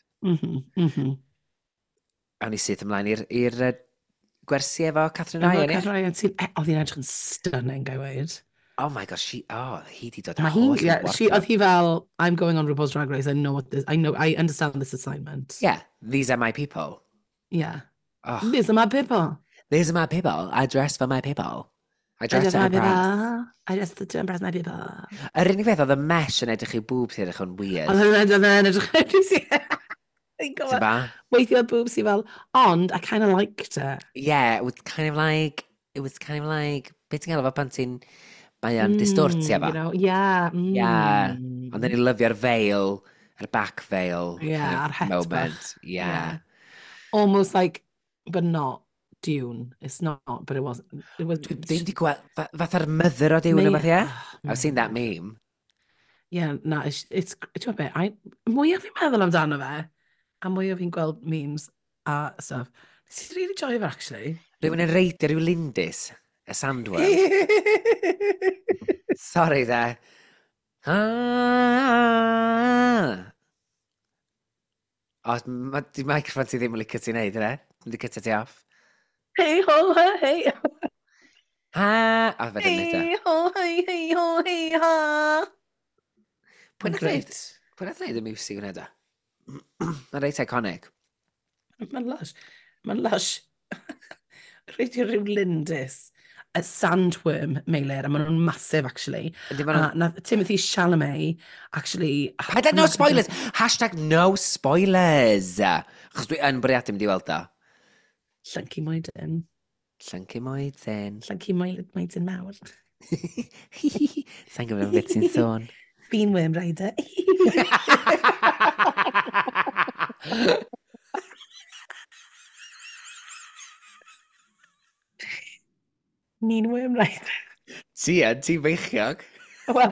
Awn ni syth ymlaen i'r gwersi efo Katherine Efo Ryan, ie? Katherine Ryan, oedd hi'n edrych yn stunning, I weud. Oh my gosh, she, oh, hi di dod â Mae hi, holl yeah, she, wardrobe. oedd hi fel, "I'm going on RuPaul's Drag Race, I know what this, I know, I understand this assignment." Yeah, these are my people. Yeah. Oh, These are my people. These are my people. I dress for my people. I I dress dress to my impress. people. I dress to impress my people. Yr unig beth oedd y mesh yn edrych i boobs i edrych yn weird. Oedd hwnna'n edrych yn Fi'n Ti'n gwybod. ba? Weithio oedd boobs i fel, ond I kind of liked it. Yeah, it was kind of like, beth ti'n gael efo pan ti'n, mae o'n distortio fo. Yeah. Yeah. Ond then i lyfio'r veil, yr back veil Yeah, kind of a'r het moment. bach. Yeah. Almost like, but not Dune. It's not, but it wasn't. It was. Dwi ddim di gweld, fatha'r mother o Dune May- o fath, ie? Oh, I've seen that meme. Yeah, na, it's ti'n gwybod be, mwyaf fi'n meddwl amdano fe, a mwyaf fi'n gweld memes a stuff, nes i really joio fe, actually. Rhywun yn reidio rhyw lindys, y sandworm. Sorry there. Ah. O, ma, di microphone ti ddim yn licio ti wneud, yna? Dwi'n licio ti off. Hey ho, hey. Ha! O, fe ddim e. Hey ho, hey, hey ho, hey ha. Pwy nath wneud? Pwy nath wneud y music hwnna da? Mae'n reit iconic. Mae'n lush. Mae'n lush. Reit i ryw lindys. A sandworm, Meilir, a maen nhw'n massive, actually. Ydy, ma' A nath Timothy Chalamet, actually. Paid â no spoilers! #NoSpoilers! Achos dwi yn bwriadu mynd i weld o. Llyncu moedyn. Llyncu moedyn. Llyncu moedyn mawr. Sa'n gwybod beth ti'n sôn. Fi'n worm rider. Ni'n worm rider. Ti yn, ti'n feichiog. Wel.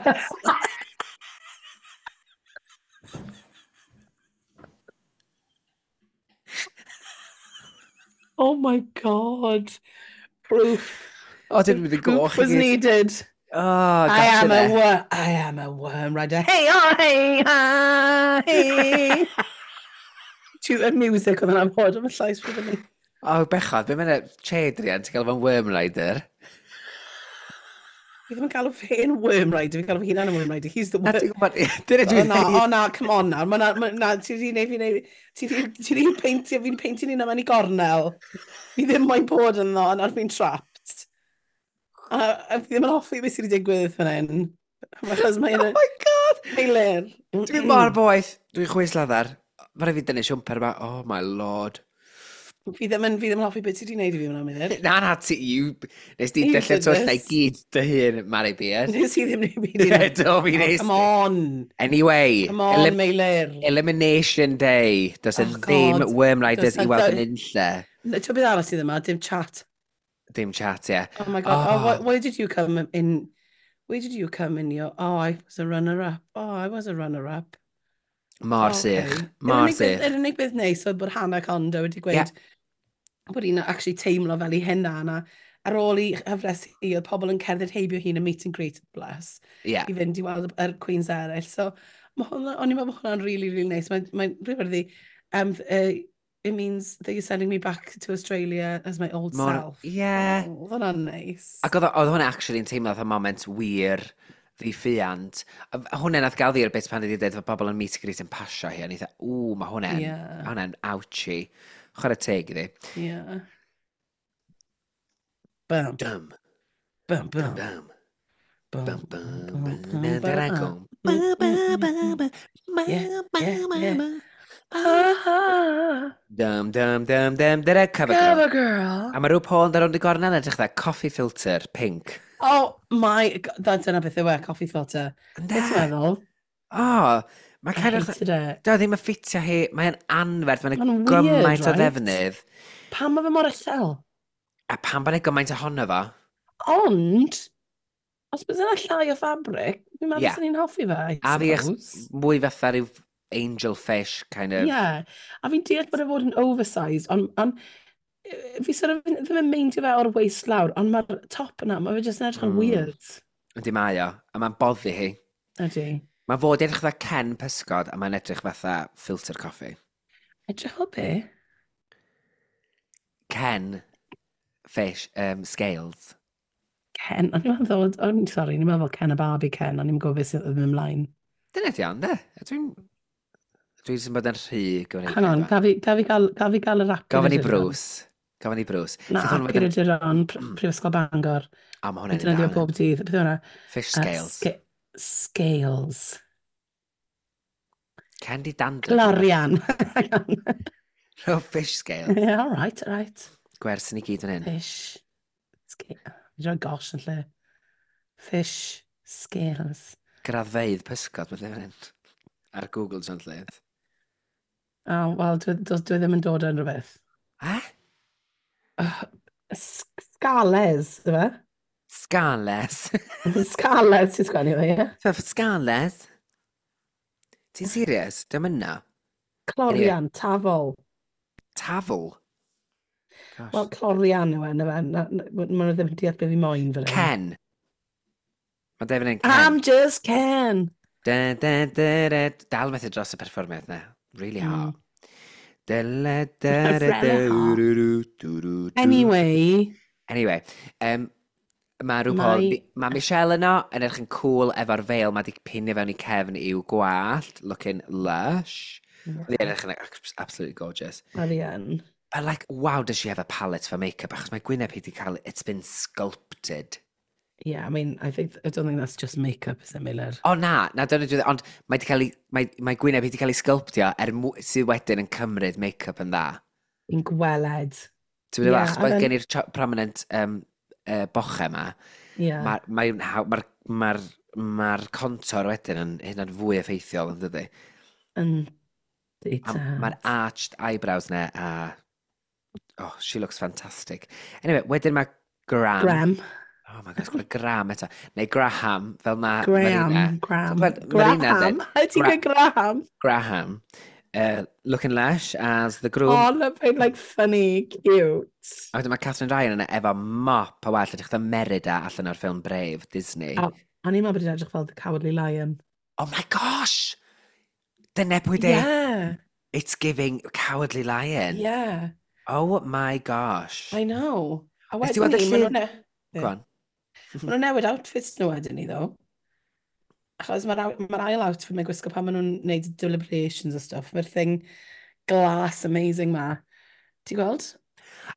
Oh my God. Proof. O, ti'n mynd i goch. Proof was needed. Oh, I am a worm. I am a worm rider. Hey, oh, hey, ah, hey. Y music oedd yna'n bod am y llais fi fyny. O, oh, bechod, be mae'n Chedrian, ti'n gael fo'n worm rider? Fi ddim yn galw fe'n worm rider, fi'n galw fy hunan yn worm rider. He's the worm. Dyna dwi'n dweud. O na, come on nawr. Ma na, ti wedi neud fi neud. Ti wedi peintio, fi'n peintio'n un mewn i gornel. Fi ddim moyn bod ynddo, a nawr fi'n trapped. A fi ddim yn hoffi beth sydd wedi digwydd fan hyn. Achos mae'n. Oh my God! Meilir. Dwi'n mor boeth. Dwi'n chwys laddar. Mae rhaid fi dynnu siwmper yma. Oh my Lord. Fi ddim yn, fi ddim yn hoffi beth ti wedi gwneud i fi hwnna, Meilir. Na, na, ti, you, nes di dyllu twll na i gyd dy hun, Mari Beard. Nes i ddim wneud byd i Do, fi nes. Come on. Anyway. Come on, Meilir. Elimination Day. Does e oh, ddim Worm Riders i weld yn unlle. Ti'n beth arall sydd yma? Dim chat. Dim chat, ie. Yeah. Oh my God. Oh. Oh, where did you come in? Where did you come in your? Oh, I was a runner-up. Oh, I was a runner-up. Mor sych. Mor sych. Yr unig beth neis oedd bod Hannah Condo wedi gweud yeah. Bod hi'n actually teimlo fel ei hunan a ar ôl i hyfres hi, oedd pobl yn cerdded heibio hi'n y meet and greet, bless, yeah. i fynd i weld yr Queens eraill. So, ma hwnna, o'n i'n meddwl bod hwnna'n really, really nice. Mae'n mae rhywbeth it means that you're sending me back to Australia as my old Mor, self. Yeah. Oh, oedd hwnna'n nice. Ac oedd hwnna actually yn teimlo fatha moment wir ddi-ffiant. A hwnna nath gael fi i'r bit pan wedi dweud fod pobl yn meet and greet yn pasio hi, a ni dda, ww, mae hwnna'n yeah. hwnna'n ouchy. Chwarae teg iddi. Yeah. Bum. Dum. Bum, bum. Dum. Bum, Bum, bum, bum, bum, bum, bum. Yeah, yeah, yeah. Ah, Dum, dum, dum, dum, dum, cover girl. Cover girl. A mae rhyw Paul yn rownd y gornel yn edrych dda coffee filter, pink. Oh my God, dyna beth yw e, coffee filter. Ynde? Beth ti'n meddwl? Oh, mae I kind of. hated it. Do, ddim yn ffitio hi. Mae'n anferth. Mae'n Ma'n weird, gymaint o right? ddefnydd. Pam mae fe mor uchel? A pam bod yna gymaint ohono fo? Ond, os bys yna llai o fabric, fi'n meddwl Ie. yeah. ni'n hoffi fe, I A fi suppose. mwy fatha rhyw angel fish, kind of. Yeah. A fi'n deall bod e fod yn oversized, ond on, fi sort of ddim yn meindio fe o'r waist lawr, ond mae'r top yna, mae fe jyst yn edrych yn weird. Yndi mae o. A mae'n boddi hi. Ydy. Mae fod i edrych fatha Ken pysgod, a mae'n edrych fatha filter coffee. Edrych fel be? Ken fish, scales. Ken, o'n i'n meddwl, o'n sorry, o'n i'n meddwl Ken a Barbie Ken, o'n i'n gwybod beth sydd ddim ymlaen. Dyna ti ond, de? Dwi'n. Dwi'n sy'n bod yn rhy gyfneud. Hang on, gaf fi gael yr app. Gofyn i Bruce. Gofyn i Bruce. Na, Sydd hwn wedyn. Geiriaduron, Prifysgol Bangor. A mae hwnna'n Defnyddio un bob dydd. Beth yw hwnna? Fish scales. Scales. Candy dandruff. Glorian. Oh, fish scales. Yeah, all right, all right. Gwers ni gyd yn hyn. Fish. Scale. Fi'n rhoi gosh yn lle. Fish scales. Graddfeydd pysgod, mae'n fan hyn. Ar Google Translate. Oh, wel, dwi ddim yn dod yn rhywbeth. Eh? Scales, yw e? Scales. Scales ti'n sgwennu fe, ie? Scales? Ti'n serious? Dim yna. Clorian, tafol. Tafl? Gosh. Wel, clorian yw e, na fe. Maen nhw ddim yn deall beth fi moyn fan hyn. Ken. Mae Devin yn Ken. I'm just Ken. Da, da, da, da. Dal methu dros y perfformiad na. Really hard. Dele, dere, du, du, du, Anyway. Anyway, mae RuPaul, mae Michelle yno yn edrych yn cool efo'r veil, mae di pinio fewn i cefn i'w gwallt, looking lush. Yeah. Oedd hi'n edrych yn absolutely gorgeous. Oedd hi yn. But like, wow, does she have a palette for makeup? Achos mae gwyneb hi di cael, it's been sculpted. Yeah, I mean, I don't think that's just makeup, is it, Miller? O oh, na, na, dyna dwi, ond mae, di cael ei, mae, mae gwyneb hi di cael ei sculptio er sydd wedyn yn cymryd make-up yn dda. Yn gweled. Ti'n yeah, achos bod gen i'r prominent bochau yma, yeah. mae'r mae, mae, mae, mae contour wedyn yn hynna'n fwy effeithiol, yn dydy? Yn. Mae'r arched eyebrows ne, a... Oh, she looks fantastic. Anyway, wedyn mae Graham. Graham. Oh my gosh, gweld Graham eto. Neu Graham, fel mae Graham, Marina. Graham. Graham? How ti'n gweud Graham? Graham. Looking lush as the groom. Oh, looking like funny, cute. A wedyn mae Katherine Ryan yna efo mop o wallt, edrych fatha Merida allan o'r ffilm Brave, Disney. Oh, o'n i'n meddwl bod hi'n edrych fel The Cowardly Lion. Oh my gosh! Dyna pwy di. Yeah. It's giving Cowardly Lion. Yeah. Oh my gosh. I know. A wedyn ni, maen nhw'n... Go on. Maen nhw'n newid outfits nhw wedyn ni, ddo. Achos mae'r ma ail outfit mae'n gwisgo pan maen nhw'n gwneud deliberations a stuff. Mae'r thing glass amazing ma. Ti'n gweld?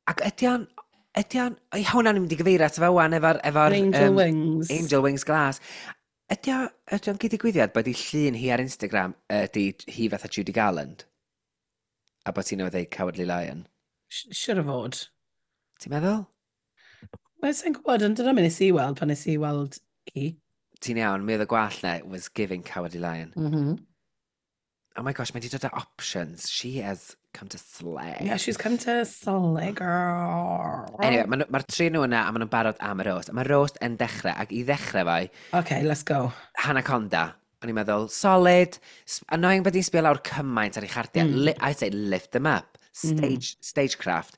Ac ydy o'n... Ydy o'n... Ei, hwnna'n mynd i gyfeirio at fe wan efo'r... Efo Angel Wings. Angel Wings Glass. Ydy o'n gyd-digwyddiad bod ei llun hi ar Instagram ydy hi fatha Judy Garland? A bod ti'n newydd ddeud Cowardly Lion? Siwr o fod. Ti'n meddwl? Wel, sa'n gwybod, ond dyna nes i weld pan nes i weld hi. Ti'n iawn, mi oedd y gwallt na was giving Cowardly Lion. Mm -hmm. Oh my gosh, mae di dod â options. She has come to slay. Yeah, she's come to slay, girl. Anyway, mae'r ma tri nhw yna a maen nhw'n barod am y roast. Mae'r roast yn dechrau, ac i ddechrau fai... Okay, let's go. Hannah Conda. O'n i'n meddwl, solid. Annoying bod hi'n sbio lawr cymaint ar ei chardiau. I'd say lift them up. Stagecraft.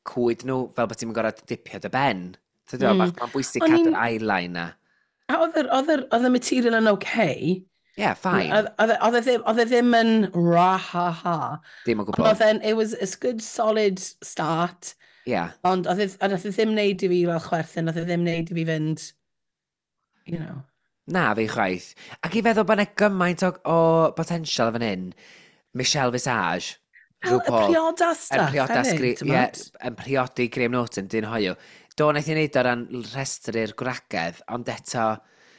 Cwyd nhw fel bod ti'n gorfod dipio dy ben. Ti'n mm. Mae'n bwysig cadw'r eyeline na. A oedd y material yn okay. Yeah, fine. Oedd e ddim yn ra-ha-ha. Dim o gwbl. Oedd e'n, it was a good solid start. Yeah. Ond oedd e ddim wneud i fi fel chwerthin, oedd e ddim wneud i fi fynd, you know. Na, fi chwaith. Ac i feddwl bod yna gymaint o potential fan hyn, Michelle Visage, RuPaul. Y priodas stuff hefyd, ie, yn priodi Graham Norton, dyn hoyw. Do, wnaeth i wneud o ran rhestru'r gwragedd, ond eto,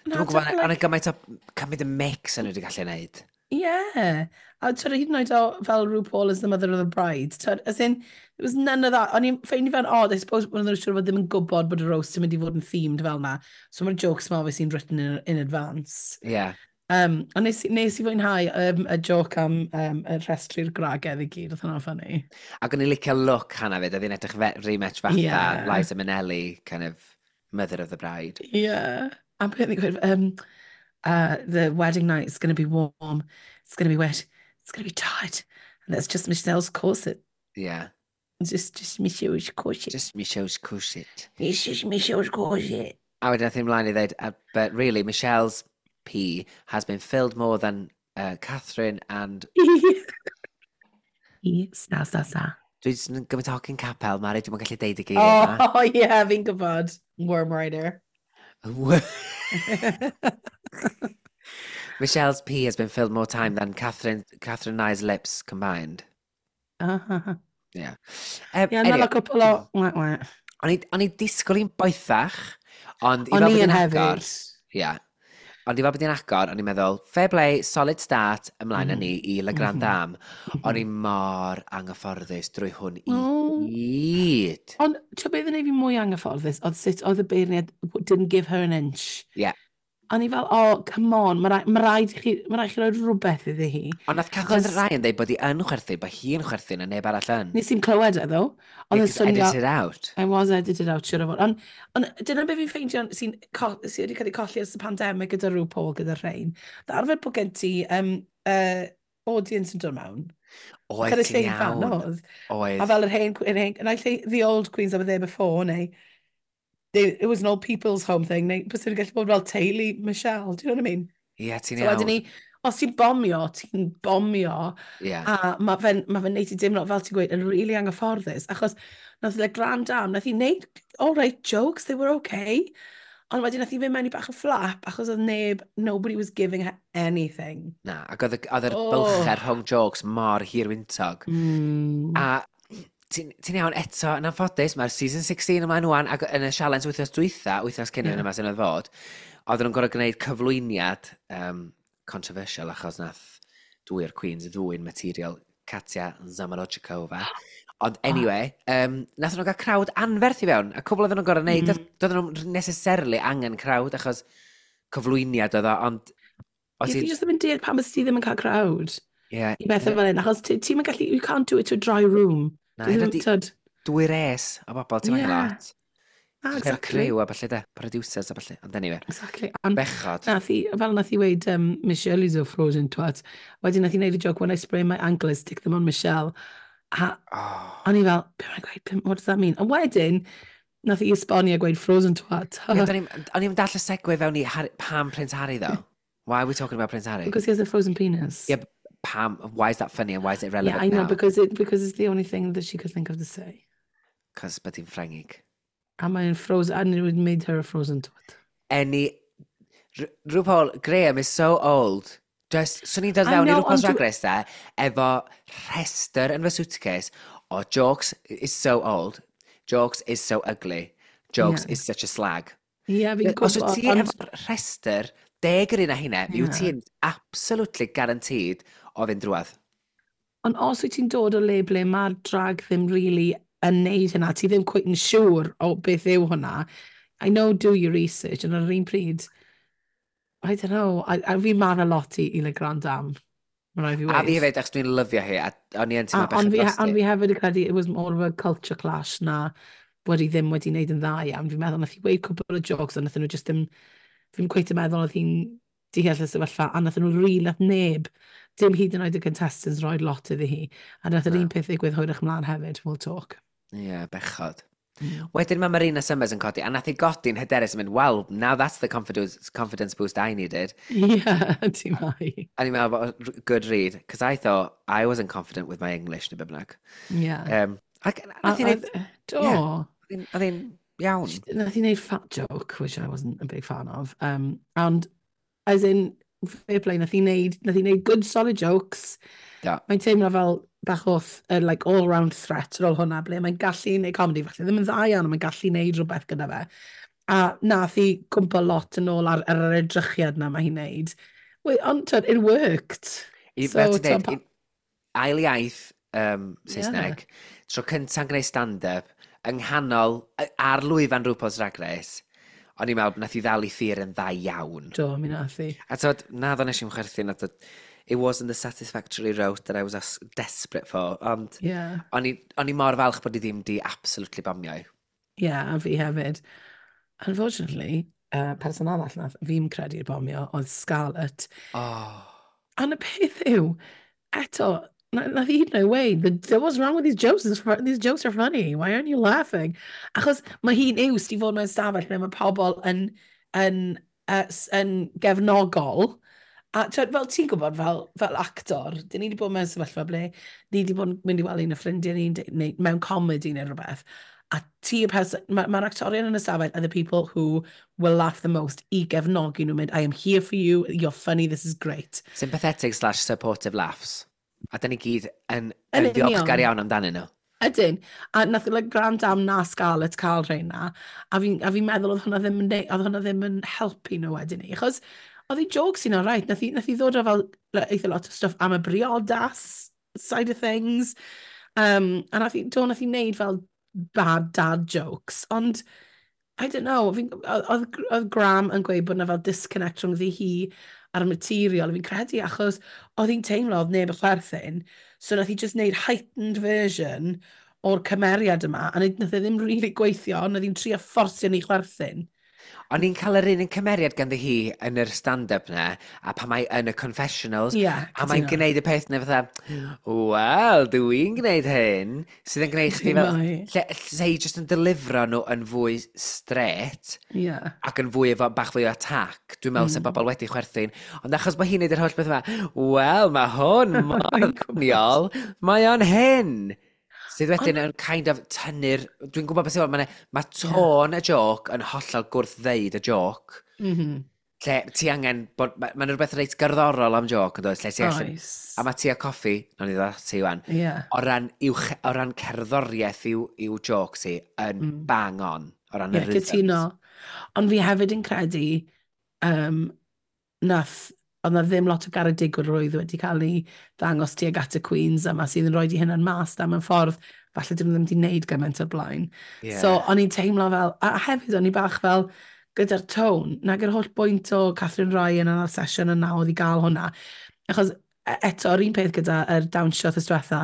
dwi'n gwybod, ond like... gymaint o cymryd y mix yn nhw wedi gallu gwneud. Yeah. A twyd, hyd yn oed o fel RuPaul as the mother of the bride. Twyd, as in, there was none of that. O'n i'n ffeindio fe'n odd, I suppose, bod nhw'n siŵr fod ddim yn gwybod bod y roast yn mynd i fod yn themed fel na. So mae'r jokes ma obviously written in advance. Yeah. Ond nes i fwynhau y joke am y rhestru'r gwragedd i gyd, oedd hwnna'n funny. Ac o'n i'n licio look Hannah fyd, oedd hi'n edrych very much fatha yeah. Liza Minnelli, kind of mother of the bride. Yeah. A beth ni'n gweud, the wedding night is going to be warm, it's going to be wet, it's going to be tight. And that's just Michelle's corset. Yeah. Just Michelle's corset. Just Michelle's corset. It's just Michelle's corset. A wedyn nath hi ymlaen i ddweud, but really, Michelle's P has been filled more than Catherine and... E, sa, sa, sa. Dwi jyst yn gymaint o hogyn capel, Mari, dwi'n gallu deud y geiriau yma. Oh, yeah, fi'n gwybod. Worm Rider. Michelle's P has been filled more time than Catherine and I's lips combined. Yeah. Yeah, another couple o... O'n i disgwyl i'n boethach, ond i fel bod hi'n agor... Yeah. Ond i fel bod hi'n agor, o'n i'n meddwl, fair play, solid start, ymlaen â ni i La Grande Dame. O'n i mor anghyfforddus drwy hwn i gyd. Ond, ti'n beth yn ei fi mwy anghyfforddus, oedd sut oedd y beirniad didn't give her an inch. Yeah. O'n i fel, oh, come on, mae rhaid i chi roi rhywbeth iddi hi. Ond nath Katherine Ryan dweud bod hi yn chwerthin, bod hi'n chwerthin a neb arall yn. Nes i'n clywed e, ddo. Ond yeah, edited out. I was edited out, siwr o fod. Ond dyna beth fi'n ffeindio sydd wedi cael ei colli ers y pandemig gyda RuPaul, gyda rhain. Arfer bod gen ti audience yn dod mewn. Oedd, ti'n iawn. Oedd. A fel yr hen, and I say the old queens that were there before, neu... It was an old people's home thing, neu bys nhw'n gallu bod fel teulu Michelle, do you know what I mean? Ie, yeah, ti'n iawn. So wedyn ni, Os ti'n bomio, ti'n bomio. Yeah. A mae fe'n ma fe neud i deimlo, fel ti'n gweud, yn really anghyfforddus. Achos nath Le Grand Dame, nath i wneud all right jokes, they were okay. Ond wedyn nath i fynd mewn i bach o flap, achos oedd neb, nobody was giving her anything. Na, ac oedd yr oh. bylchau rhwng jokes mor hirwyntog. A ti'n ti iawn eto, yn anffodus, mae'r season 16 ymlaen wan, ac yn y challenge wythnos dwytha, wythnos cyn yeah. yma sy'n oedd fod, oedden nhw'n gorfod gwneud cyflwyniad controversial achos nath dwy o'r Queens ddwy'n material Katya Zamolodchikova. Ond anyway, nath nhw gael crowd anferth i fewn, a cwbl oedden nhw'n gorfod gwneud, doedden nhw'n necessarily angen crowd achos cyflwyniad oedd o, ond... Ie, fi jyst ddim yn deall pam ys ti ddim yn cael crowd. Yeah, I bethau fel hyn, achos ti'n gallu, you can't do it to a dry room. Na, dwy res o bobl, ti'n yeah. lot. Ah, exactly. Crew a falle de, producers a falle, ond anyway. Exactly. And Bechod. Nath i, fel nath i weid, Michelle is a frozen twat. Wedyn nath i wneud y joke, when I sprain my ankle, I stick them on Michelle. A oh. o'n i fel, be mae'n gweud, what does that mean? Ond wedyn, nath i esbonio gweud frozen twat. Yeah, o'n i'n dall y segue fewn i Harry, Pam Prince Harry, though. Why are we talking about Prince Harry? Because he has a frozen penis. Yeah, but Pam, why is that funny and why is it relevant Yeah, I know, now? because it's the only thing that she could think of to say. Cos bod hi'n Ffrengig. A mae'n frozen, and it made her a frozen twat. Any... RuPaul, Graham is so old. Just, swn i'n dod fewn i RuPaul's Drag Race de, efo rhestr yn fy suitcase o jokes is so old, jokes is so ugly, jokes is such a slag. Ie, yeah, fi'n gwybod. Os wyt ti efo rhestr, 10 yr un a hynna, yeah. wyt ti'n absolutely guaranteed o fynd drwadd. Ond os wyt ti'n dod o le ble mae'r drag ddim really yn neud hynna, ti ddim quite yn siŵr o beth yw hwnna. I know do your research, ond ar yr un pryd, I don't know, a fi'n marw lot i Le Grand Dame. Mae'n rhaid fi A fi hefyd, achos dwi'n lyfio hi, a o'n i yn teimlo bechod drosti. Ond fi hefyd yn credu it was more of a culture clash na wedi ddim wedi wneud yn dda iawn. Fi'n meddwl nath i weud cwbl o jokes, ond nath nhw just ddim, fi'n cweit yn meddwl oedd hi'n deall y sefyllfa, a nath nhw rili, nath neb, dim hyd yn oed y contestants roi lot iddi hi. A nath yr un peth ddigwydd hwyrach ymlaen hefyd, we'll talk. Ie, yeah, bechod. Wedyn mae Marina Summers yn codi, a nath hi godi'n hyderus yn mynd, well, now that's the confidence boost I needed. Yeah, ti mai. A ni'n meddwl, good read, because I thought I wasn't confident with my English, neu be bynnag. Yeah. Ac nath hi wneud... Do. Oedd hi'n iawn. Nath hi wneud fat joke, which I wasn't a big fan of. And, as in, fair play, nath hi wneud good solid jokes. Yeah. Mae'n teimlo fel bach o like, all-round threat ar ôl hwnna, ble mae'n gallu neud comedy, falle ddim yn dda iawn, ond mae'n gallu neud rhywbeth gyda fe. A nath hi cwmpo lot yn ôl ar yr edrychiad na mae hi'n neud. Ond, it worked. So, ti'n deud, ail iaith Saesneg, tro cynta'n gwneud stand-up, yng nghanol, ar lwyfan RuPaul's Drag Race, o'n i'n meddwl, nath hi ddal i thir yn dda iawn. Do, mi nath hi. A tyd, na ddo nes i'n chwerthin, it wasn't the satisfactory route that I was desperate for, ond yeah. o'n i mor falch bod i ddim di absolutely bomio. Yeah, a fi hefyd. Unfortunately, person arall nath fi'n credu'r bomio oedd Scarlett. Oh. And y peth yw, eto, nath hi hyd yn oed weud, what's wrong with these jokes? These jokes are funny. Why aren't you laughing? Achos mae hi'n used i fod mewn stafell lle mae pobl yn gefnogol. A fel ti'n gwybod, fel actor, dyn ni wedi bod mewn sefyllfa ble ni wedi bod yn mynd i weld un o ffrindiau ni, neu mewn comedy neu rhywbeth. A ti y person, mae'r actorion yn y stafell are the people who will laugh the most i gefnogi nhw, mynd, I am here for you, you're funny, this is great. Sympathetic / supportive laughs. A dyn ni gyd yn ddiolchgar iawn amdanyn nhw. Ydyn. A nath like, Grand Dame na Scarlett cael rheina. A fi'n meddwl oedd hwnna ddim yn helpu nhw wedyn ni. Achos oedd hi jokes i'n alright. Nath hi ddod o fel eitha lot o stuff am y briodas side of things. A nath hi wneud fel bad dad jokes. Ond, I don't know, oedd Graham yn gweud bod na fel disconnect rhwng hi a'r material. Fi'n credu achos oedd hi'n teimlo oedd neb y chwerthin. So nath hi just wneud heightened version o'r cymeriad yma. A nath e ddim really gweithio, ond oedd hi'n trio fforsio ni chwerthin. O'n i'n cael yr un yn cymeriad ganddi hi yn yr stand-up na, a pan mae yn y confessionals, yeah, a mae'n gwneud y peth na fatha, "Wel, dwi'n gwneud hyn," sydd yn gwneud chdi fel, lle hi jyst yn delifro nhw yn fwy straight, ac yn fwy efo, bach fwy o attack, dwi'n meddwl mm. bobl wedi chwerthin, ond achos bod hi'n neud yr holl beth yma, "Wel, mae hwn mor ddoniol, mae o'n hyn." Sydd wedyn yn kind of tynnu'r. Dwi'n gwybod beth sy'n, mae tôn y joc yn hollol gwrth-ddeud y joc. Lle ti angen bod. Mae'n ma rhywbeth reit gerddorol am joc, yn does? Lle ti allan. A mae Tia Kofi, nawn ni ddod ati wan, o ran cerddoriaeth i'w joc ti, yn bang on, o ran y rhythms. Cytuno. Ond fi hefyd yn credu oedd na ddim lot o garedigrwydd wedi cael ei ddangos tuag at y Queens yma sydd yn rhoi di hynna'n mas da mewn ffordd falle dyn nhw ddim wedi wneud gymaint o'r blaen. So, o'n i'n teimlo fel, a hefyd o'n i bach fel, gyda'r tone, nag yr holl bwynt o Katherine Ryan yn yr sesiwn yna oedd i gael hwnna. Achos eto, yr un peth gyda yr dawnsio wythnos diwetha,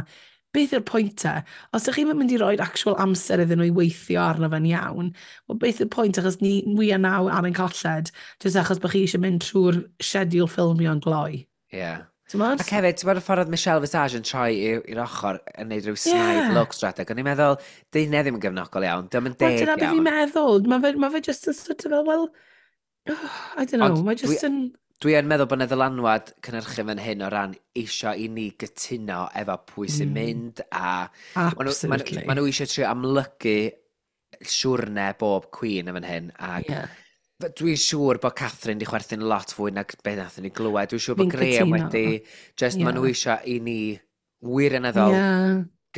beth yw'r pwynt te? Os ydych chi'n mynd i roi actual amser iddyn nhw i weithio arno fe'n iawn, wel, beth yw'r pwynt? Achos ni, we are now ar ein colled, jyst achos bod chi eisiau mynd trwy'r schedule ffilmio yn gloi. T'mod? Ac hefyd, ti'n bod y ffordd oedd Michelle Visage yn troi i'r ochr yn neud rhyw snide look strateg. O'n i'n meddwl, di hynny ddim yn gefnogol iawn, dim yn Wel, deg dyna beth fi'n iawn. meddwl. Mae fe just yn sort of fel, well, oh, I don't know, Ond mae just yn. Dwi yn meddwl bod yna ddylanwad cynhyrchu fan hyn o ran eisiau i ni gytuno efo pwy sy'n mynd a ma nhw eisiau trio amlygu siwrne bob queen yn fan hyn ac dwi'n siŵr bod Katherine di chwerthin lot fwy nag beth nathon ni glywed. Dwi'n siŵr bod Fi'n Graham cytuno. wedi, just ma nhw eisiau i ni wirioneddol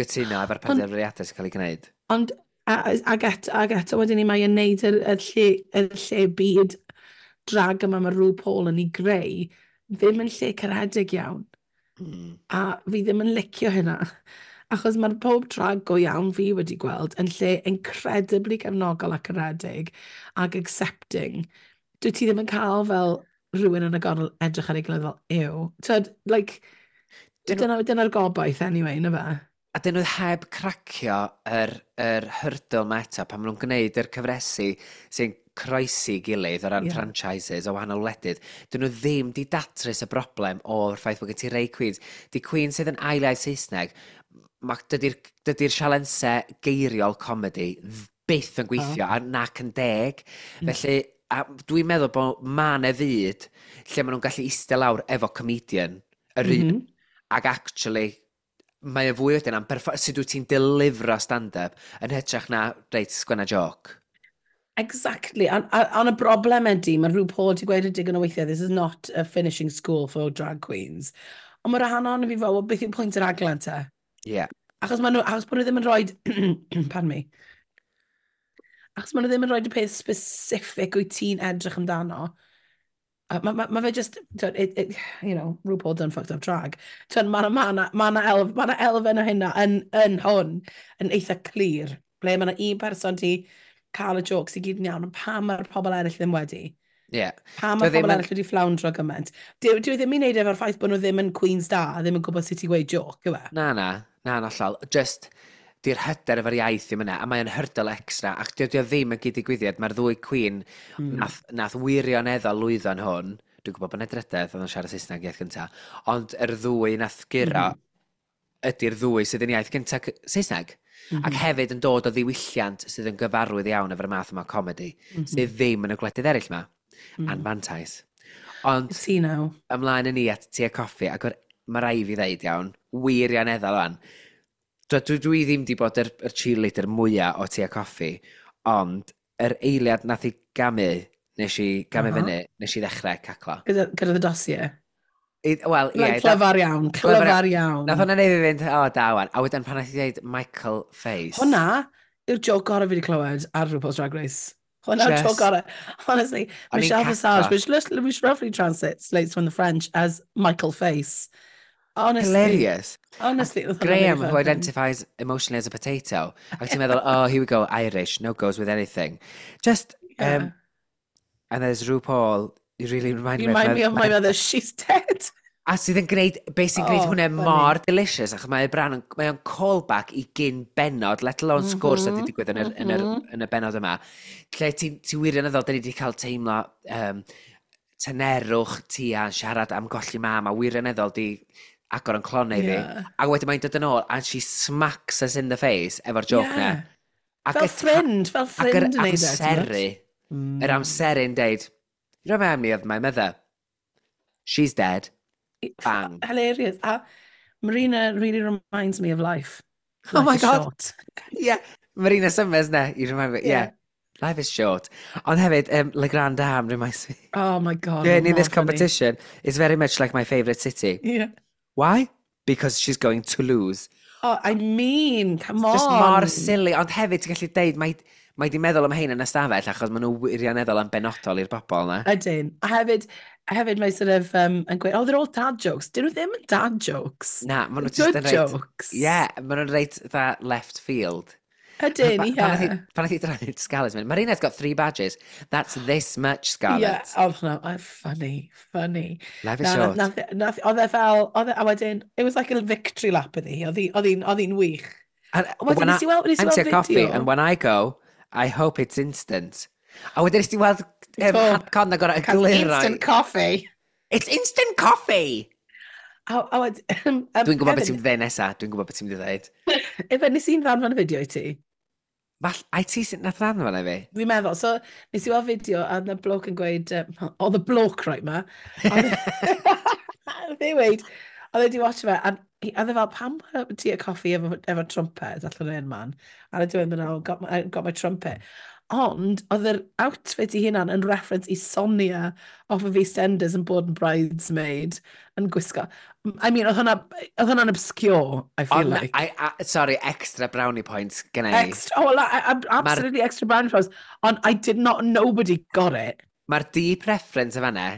gytuno efo'r penderfyniadau sy'n cael ei gwneud. Ond, ag eto wedyn ni, mae'n neud y lle byd drag yma mae rhyw Paul yn ei greu, ddim yn lle caredig iawn. A fi ddim yn licio hynna. Achos mae'r pob drag go iawn fi wedi gweld yn lle incredibly gefnogol ac caredig ac accepting. Dwi ti ddim yn cael fel rhywun yn y gornel edrych ar ei gilydd fel, "Ew." Tyd, like, dyna'r gobaith anyway, na fe? A dyn nhw heb cracio yr hurdle ma eto pan maen nhw'n gwneud yr cyfresi sy'n croesi gilydd o ran franchises o wahanol wledydd. Dyn nhw ddim di datrys y broblem o'r ffaith bod gen ti rei queens. Di queens sydd yn ail iaith Saesneg, dydy'r sialensau geiriol comedy byth yn gweithio a nac yn deg. Felly, a dwi'n meddwl bod ma' 'na fyd lle maen nhw'n gallu eistedd lawr efo comedian, yr un, ac actually, mae o fwy wedyn am sut wyt ti'n delifro stand-up yn hytrach na, "Reit, sgwenna joc." Exactly. A y broblem ydy, mae rhyw Paul ti gweud y digon o weithiau, "This is not a finishing school for drag queens." Ond mae'r rhan ohono fi fel, "Well, beth yw pwynt yr aglen te?" Achos bod nhw ddim yn rhoi, pardon me, achos maen nhw ddim yn rhoi y peth specific wyt ti'n edrych amdano. A ma fe just, twyd, RuPaul done fucked up drag. Twyd, mae ma, ma, ma, na elf, ma na elfen o hynna yn hwn yn eitha clir. Ble mae na un person ti cael y jokes i gyd yn iawn, ond pam mae'r pobl eraill ddim wedi? Pam mae'r Dwi ddim pobl eraill wedi fflawndro gymaint? Dwi ddim i wneud efo'r ffaith bod nhw ddim yn queens da, a ddim yn gwybod sut i gweud joke, yw e? Na, na, hollol. Just, di'r hyder efo'r iaith ddim yna, a mae'n hurdle extra, ac dydy o ddim yn gyd-digwyddiad, mae'r ddwy queen nath wirioneddol lwyddo yn hwn, dwi'n gwybod bod yna drydedd oedd yn siarad Saesneg iaith gynta, ond yr ddwy nath guro ydy'r ddwy sydd yn iaith gynta Saesneg. Ac hefyd yn dod o ddiwylliant sydd yn gyfarwydd iawn efo'r math yma o comedy, sydd ddim yn y gwledydd eraill yma. Anfantais. Ond Ti now. ymlaen yn ni at Tia Kofi, ac mae rai fi ddeud iawn, wirioneddol o'n. Dwi ddim di bod yr cheerleader mwyaf o Tia Kofi, ond yr eiliad nath i gamu, nes i gamu fyny, nes i ddechrau caclo. Gyda the dossier. Wel, ie. Like, clyfar iawn, clyfar iawn. Nath hwnna neud i fi fynd, "O, da wan." A wedyn pan nath i dweud "Michael Face." Hwna yw'r joke gorau fi wedi clywed ar RuPaul's Drag Race. Hwna'r joke gorau. Honestly, O'n i'n Michelle caclo. Visage, which roughly translates from the French as "Michael Face." Honestly. Hilarious. Honestly. Oedd hwnna'n Graham, really who funny. identifies emotionally as a potato. Ac ti'n meddwl, "Oh, here we go, Irish, no goes with anything." Just, and there's RuPaul, "You really remind You me remind of me of my mother, she's dead." A sydd yn gwneud, beth sy'n gwneud hwnna mor delicious, achos mae bran, mae o'n callback i gyn benod, let alone sgwrs mm -hmm, wedi digwydd yn, yr, yn, yr, yn y benod yma. Lle ti'n ti wirioneddol, da ni wedi cael teimlo tynerwch ti a'n siarad am golli mam, a wirioneddol di agor yn clonau fi. A wedyn mae'n dod yn ôl, and she smacks us in the face efo'r joke na. Ac fel ffrind, fel ffrind yn neud e. Amseru, yr amseru'n deud, "You remind me of my mother. She's dead." Bang. Hilarious. A Marina really reminds me of life. Oh my God. Short. Yeah. Marina Summers na. You remind me. Yeah. Life is short. Ond hefyd, Le Grand Dame reminds me. Oh my God. Joining this competition is very much like my favourite city. Why? Because she's going to lose. Oh, I mean, come on. Just mor silly. Ond hefyd, ti'n gallu deud, mae di meddwl am hein yn ystafell achos maen nhw wirioneddol yn benodol i'r bobl na. Ydyn. A hefyd mae sort of yn gweud, "Oh, they're all dad jokes." Dyn nhw ddim yn dad jokes. Na, maen nhw just yn reit. Jokes. Yeah, maen nhw'n reit dda left field. Ydyn, ie. Pan nath i droi Scarlett, mynd, "Marina's got three badges. That's this much, Scarlett." Yeah, oh, no, oh, funny, funny. Life is short. Oedd e fel, oedd e, a wedyn, it was like a victory lap iddi. Oedd hi'n wych. And wedyn nes i weld, nes i weld coffee, and when I go, I hope it's instant. A wedyn nes ti weld Con na gorau egluro. Instant coffee. It's instant coffee! A wedyn, Dwi'n gwybod beth ti'n dweud nesa. Dwi'n gwybod beth ti'n dweud. Efe, nes i'n ddanfon y fideo i ti? Fall, ai ti sy'n nath ddanfon e fi? Fi'n meddwl, so nes i weld fideo a na bloke yn gweud, oedd y bloke right ma, oedd e weid, oedd e wedi watch fe, a oedd e fel, "Pam ti a coffi efo trumpet allan o'n man?" A oedd e dweud, "No, got my trumpet." Ond, oedd yr outfit i hunan yn reference i Sonia off of EastEnders yn bod yn bridesmaid yn gwisgo. I mean, oedd hwnna'n obscure, I feel Ond, like. Sorry, extra brownie points gen i. Extra, oh, well, absolutely extra brownie points. Ond I did not, nobody got it. Mae'r deep reference y fanna,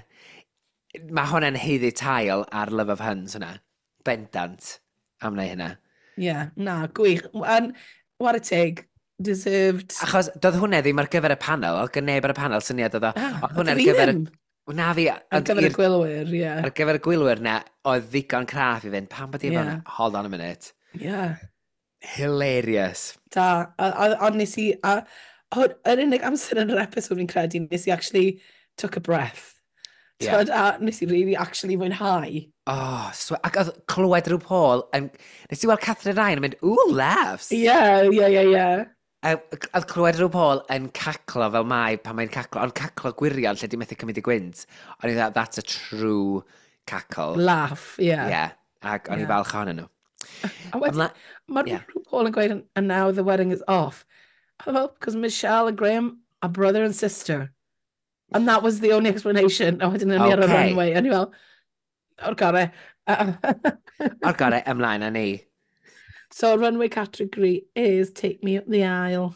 mae hwnna'n haeddu tail ar Love of Huns hwnna. Bendant am wneud hynna. Yeah, na, gwych. And what a teg. Deserved. Achos doedd hwnna ddim ar gyfer y panel, oedd gen neb ar y panel syniad oedd o. Ah, Oedd hwnna ar fi gyfer ddim. Na fi. Ar gyfer y gwylwyr, ie. Ar gyfer y gwylwyr na, oedd ddigon craff i fynd, "Pam bod i efo hwnna?" Hold on a minute. Hilarious. Da. A nes i, a, yr unig amser yn yr episode fi'n credu, nes i actually took a breath. T'wod, a nes i really actually fwynhau. Oh, ac oedd clywed rhyw Paul, yn, nes i weld Katherine Ryan yn mynd, "Ooh, laughs." Ie. Oedd clywed rhyw Paul yn caclo fel mai pan mae'n caclo, ond caclo gwirion lle di methu cymryd i gwynt. O'n i dda, "That's a true cackle." Laugh, ie. Yeah. Ac o'n i falch ohonyn nhw. A wedyn, mae RuPaul yn gweud, "And now the wedding is off." A fel, "Because Michelle and Graham are brother and sister." And that was the only explanation. A wedyn o'n i ar y runway. A ni fel, "O'r gore." O'r gore, ymlaen â ni. So, runway category is Take Me Up the Aisle.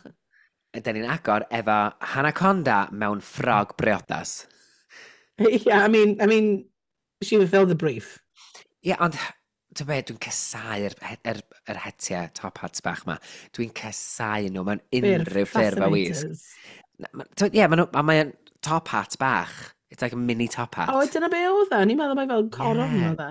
Ydyn ni'n agor efo Hannah Conda mewn ffrog briodas. Yeah, I mean, she fulfilled the brief. Ie, yeah, ond ti'n be, dwi'n casau'r yr hetiau top hats bach ma. Dwi'n casau nhw mewn unrhyw ffurf a wisg. Ie, ma nhw- a mae'n top hat bach. It's like a mini top hat. O, dyna be oedd e? Ni'n meddwl mai fel coron oedd e.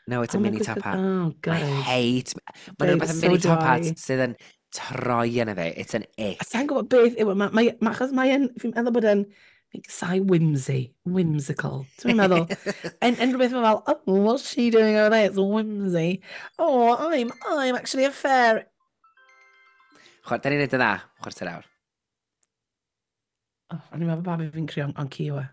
No, it's a Oh my mini top goodness. hat. Oh, I God. hate. Mae'n Babe, rhywbeth yn so mini do top hat I. sydd yn troi yn y fe. It's an ick. A sa'n gwybod beth yw e, achos mae'n, fi'n meddwl bod e'n, fi'n casau whimsy, whimsical. Ti'n meddwl? En rhywbeth mae fel, "Oh, what's she doing over there? It's whimsy. Oh, I'm actually a fair." Da ni'n neud yn dda, chwarter awr. Oh, o'n i'n meddwl babi fi'n crio o'n ci yw e.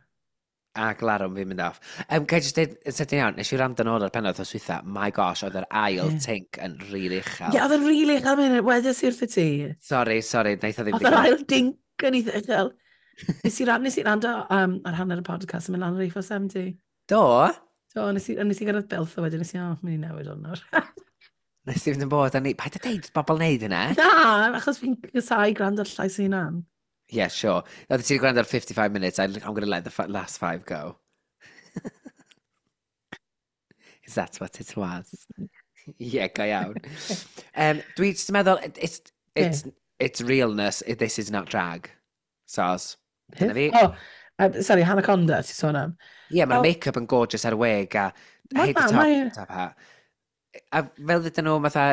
A glarwm fi'n mynd off. Ga i jyst deud, yn sydyn iawn, nes i wrando nôl ar pennod o switha, my gosh, oedd yr ail tink yn rili uchel. Ie, oedd e'n rili uchel, mynd, wedes i wrtho ti. Sorry, sorry, wnaeth o ddim Oedd yr ail dink yn eitha uchel. Nes i rando ar hanner y podcast yn mynd lan ar A470. Do? Do, nes i gyrraedd Builth a wedyn nes i, oh, mynd i newid hwn nawr. Nes i fynd yn bod, a ni, paid a deud bobl wneud hynna. Na, achos fi'n casau gwrando ar llais ei hunan. Yeah, sure. Oedd ti wedi gwrando ar 55 minutes, I'm going to let the last five go. Is that what it was? Yeah, go iawn. Dwi jyst yn meddwl, it's realness, this is not drag. Sos. Dyna fi. Oh, Sorry, Hannah Conda, ti'n sôn am? Ie, yeah, mae'r make-up yn gorgeous ar wig a hate the top, top hat. A fel ddydyn nhw, fatha,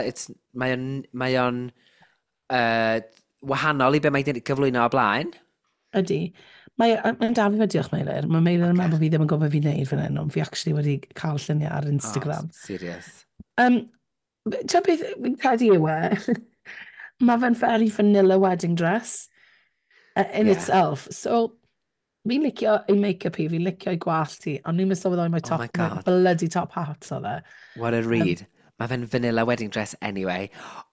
mae o'n wahanol i be mae wedi gyflwyno o blaen. Ydy. Mae'n dal fi fe, diolch Meilir. Mae Meilir yn meddwl bod fi ddim yn gwybod fi'n neud fan hyn, ond fi actually wedi cael lluniau ar Instagram. Oh, serious. Ti'n beth fi'n credu yw e? Mae fe'n very vanilla wedding dress in itself. So, fi'n licio ei make-up hi, fi'n licio ei gwallt hi, ond ni'n sylweddoli mae Oh top, my my God. bloody top hat oedd e. What a read. Mae fe'n vanilla wedding dress anyway.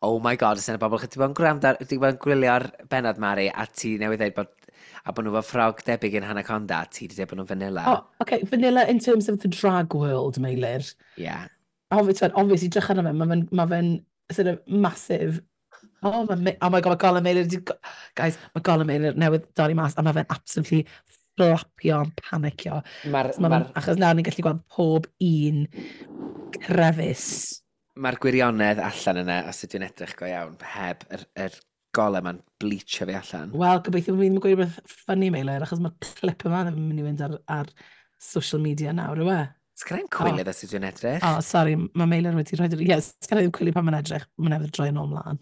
Oh my God, os yna bobl, chi 'di bod yn gwrando, di bod yn gwylio'r bennod, Mari, a ti newydd dweud bod nhw efo ffrog debyg yn Hannah Conda, a ti wedi dweud bod nhw'n vanilla. Oh, okay, vanilla in terms of the drag world, Meilir. Obviously, obviously, drych arno fe, ma fe'n sort of massive. Oh my God, mae golau Meilir, guys, mae golau Meilir newydd dorri mas, a mae fe'n absolutely fflapio yn panicio. So ma achos nawr ni'n gallu gweld pob un crefus. Mae'r gwirionedd allan yna, os ydw i'n edrych go iawn, heb yr golau ma'n bleachio fi allan. Wel, gobeithio bod fi ddim yn gweud rhywbeth funny, Meilir, achos mae'r clip yma ddim yn mynd i fynd ar social media nawr, yw e? Sgynna i'm cwilydd os ydw i'n edrych. Oh, sorry, mae Meilir wedi rhoi. Yes, sgynna i'm cwilydd pan mae'n edrych, mae'n newydd droi yn ôl mlaen.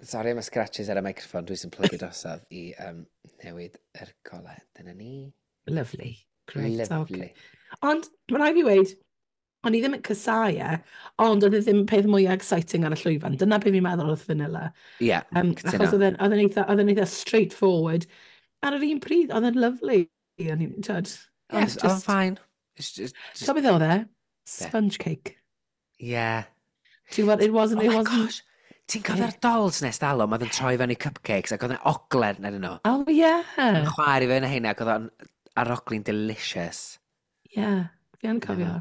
Sorry am y scratches ar y microphone, dwi sy'n plygu drosodd i newid yr golau. Dyna ni. Lovely. Great, Lovely. okay. Ond, mae rhaid fi weud, o'n i ddim yn casáu e, ond oedd e ddim peth mwyaf exciting ar y llwyfan. Dyna beth fi'n meddwl wrth vanilla. Ie, yeah, cytuno. Achos oedd e'n eitha straightforward. Ar yr un pryd, oedd e'n lovely. O'n i'n, tyd, ond Yes, oedd o'n fine. It's just So beth oedd e? Sponge cake. Yeah. Ti'n gwybod, it wasn't, Oh it my wasn't. gosh. Ti'n cofio'r dolls nes dalwm oedd yn troi fewn i cupcakes ac oedd yn ogler yn nhw? Oh, yeah. Yn chwaer i fe yn heina ac oedd o'n arogli'n delicious. Yeah, fi yn cofio.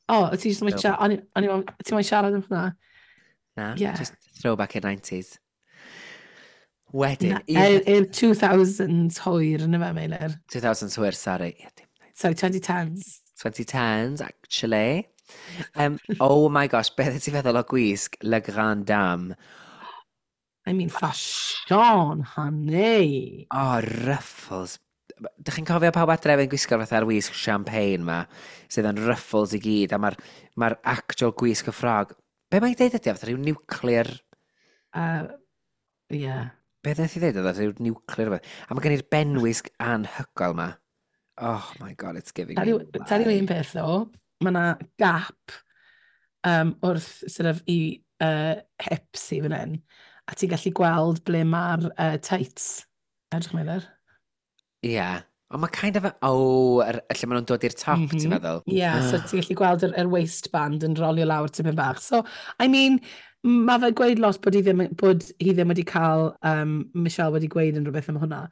O, oh, ti jyst yn siarad, ti'n moyn siarad am hwnna? Na, Yeah. just throwback i'r 90s. Wedyn, Na, I'r 2000s hwyr yn y fe, Meilir. 2000s hwyr, sorry. Yeah, dim Sorry, 2010s. 2010s, actually. Oh my gosh, beth ti'n feddwl o gwisg Le Grand Dame? I mean, fashion, honey. Oh, ruffles. Dych chi'n cofio pawb adref yn gwisgo'r fatha'r wisg champagne ma, sydd yn ruffles i gyd, a mae'r ma actual gwisg y ffrog. Be mae'n deud ydy? Fatha rhyw nuclear? Yeah. Be wnaeth i ddeud oedd o? Rhyw nuclear rhywbeth. A mae gen i'r benwisg anhygoel ma. Oh my God, it's giving me Tell you un life. peth, ddo, mae yna gap wrth sort of i hips i fan hyn, a ti'n gallu gweld ble mae'r tights. Edrych, Meilir. Ie. Yeah. Ond mae kind of a... Oh, lle maen nhw'n dod i'r top, ti'n meddwl? Ie, yeah, so ti'n gallu gweld yr waistband yn rolio lawr tipyn bach. So, I mean, mae fe gweud lot bod hi ddim wedi cael, Michelle wedi gweud yn rhywbeth am hwnna.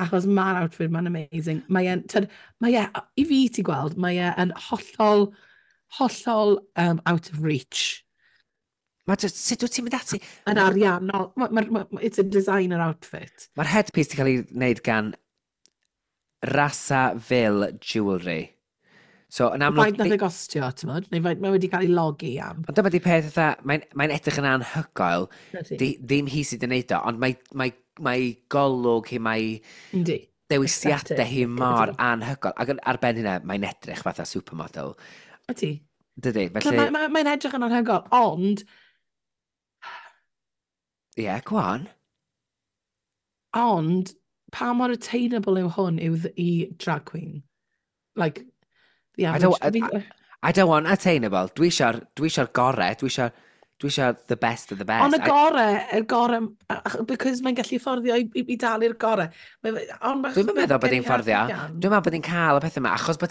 Achos mae'r outfit ma'n amazing. Mae e'n, tyd, mae e, i fi ti gweld, mae e yn hollol, hollol out of reach. Mae just, sut wyt ti'n mynd ati? Yn ariannol. It's a designer outfit. Mae'r headpiece wedi cael ei wneud gan Rasa Ville Jewellery. So, yn amlwg. Faint nath e gostio, ti'n modd? Neu faint mae wedi cael ei logi am? Ond dyma di peth fatha, mae edrych yn anhygoel. Ydi. Ddim hi sydd wedi wneud o, ond mae golwg hi, mae dewisiadau hi Aesthetic, mor ydi. anhygoel. Ac ar ben hynna, mae'n edrych fatha supermodel. Ydi. Dydy, felly. Mae'n edrych yn anhygoel, ond Ie, yeah, go on. Ond, pa mor attainable yw hwn i drag queen? Like, the I average. don't, I don't want attainable. Dwi eisiau'r gorau. Dwi eisiau the best of the best. Ond y gore, y gore, because mae'n gallu fforddio i dalu'r gore. Ond Dwi'n meddwl bod hi'n fforddio. Dwi'n meddwl bod hi'n cael y pethau yma, achos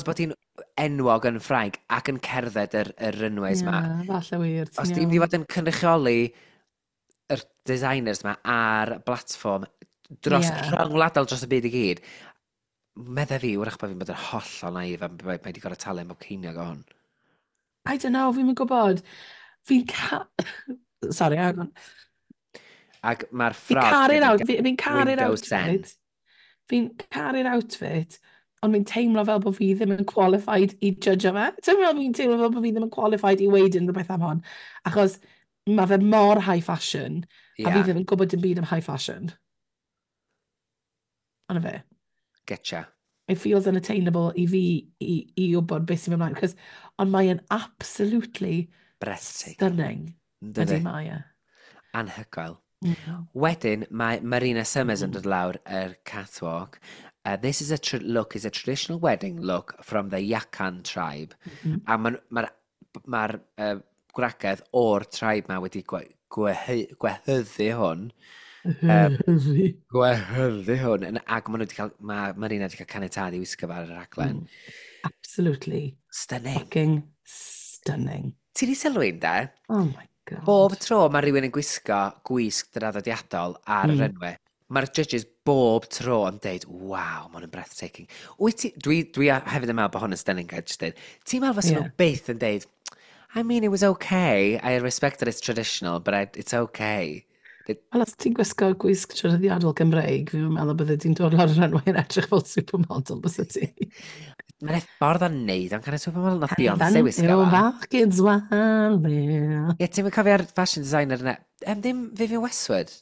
bod hi'n enwog yn Ffrainc ac yn cerdded yr runways ma. Ie, falle wir. Os ti'n mynd i fod yn cynrychioli yr designers ma ar blatfform dros rhyngwladol dros y byd i gyd, medda fi, wrach bod fi'n bod yn hollol naif am mae wedi gorfod talu am bob ceiniog o hwn. I don't know, fi'n gwybod. Fi'n ca... Sorry, hang on. Ac mae'r Fi'n ffrog caru'r hefyd fi'n caru'r Windows 10. outfit. Fi'n caru'r outfit, ond fi'n teimlo fel bod fi ddim yn qualified i judge fe. Ti'n meddwl fi'n teimlo fel bod fi ddim yn qualified i weud unrhyw beth am hon. Achos mae fe mor high fashion, a fi ddim yn gwybod dim byd am high fashion. Ond fe. Getcha. It feels unattainable i fi i wybod beth sy'n mynd ymlaen. 'Cause, ond mae'n absolutely breathtaking. Stunning. Ydy mae e. Anhygoel. Wedyn, mae Marina Summers yn dod lawr yr catwalk. This is a look is a traditional wedding look from the Yakan tribe. A mae'r ma gwragedd o'r tribe ma wedi gwehyddu hwn. Gwehyddu hwn. Ac maen nhw wedi cael, mae Marina wedi cael caniatâd i wisgo fe ar y rhaglen. Absolutely. Stunning. Fucking stunning. Ti di sylwi, de? Oh my God. Bob tro mae rhywun yn gwisgo gwisg draddodiadol ar y runway, mae'r judges bob tro yn deud, "Waw, mae hwn yn breathtaking." Wyt ti, dwi hefyd yn meddwl bod hwn yn stunning, gael just deud. Ti'n meddwl fysa nhw byth yn deud, "I mean, it was okay, I respect that it's traditional, but it's okay"? Wel, os ti'n gwisgo gwisg traddodiadol Gymreig, fi'n meddwl bydde ti'n dod lawr yr runway yn edrych fel supermodel, byse ti? Mae'n ffordd o'n neud, ond kind of supermodel, nath Beyoncé wisgo Yw fo. fachgen swale. Ie, ti'n mynd cofio'r fashion designer yna? Ddim Vivienne Westwood?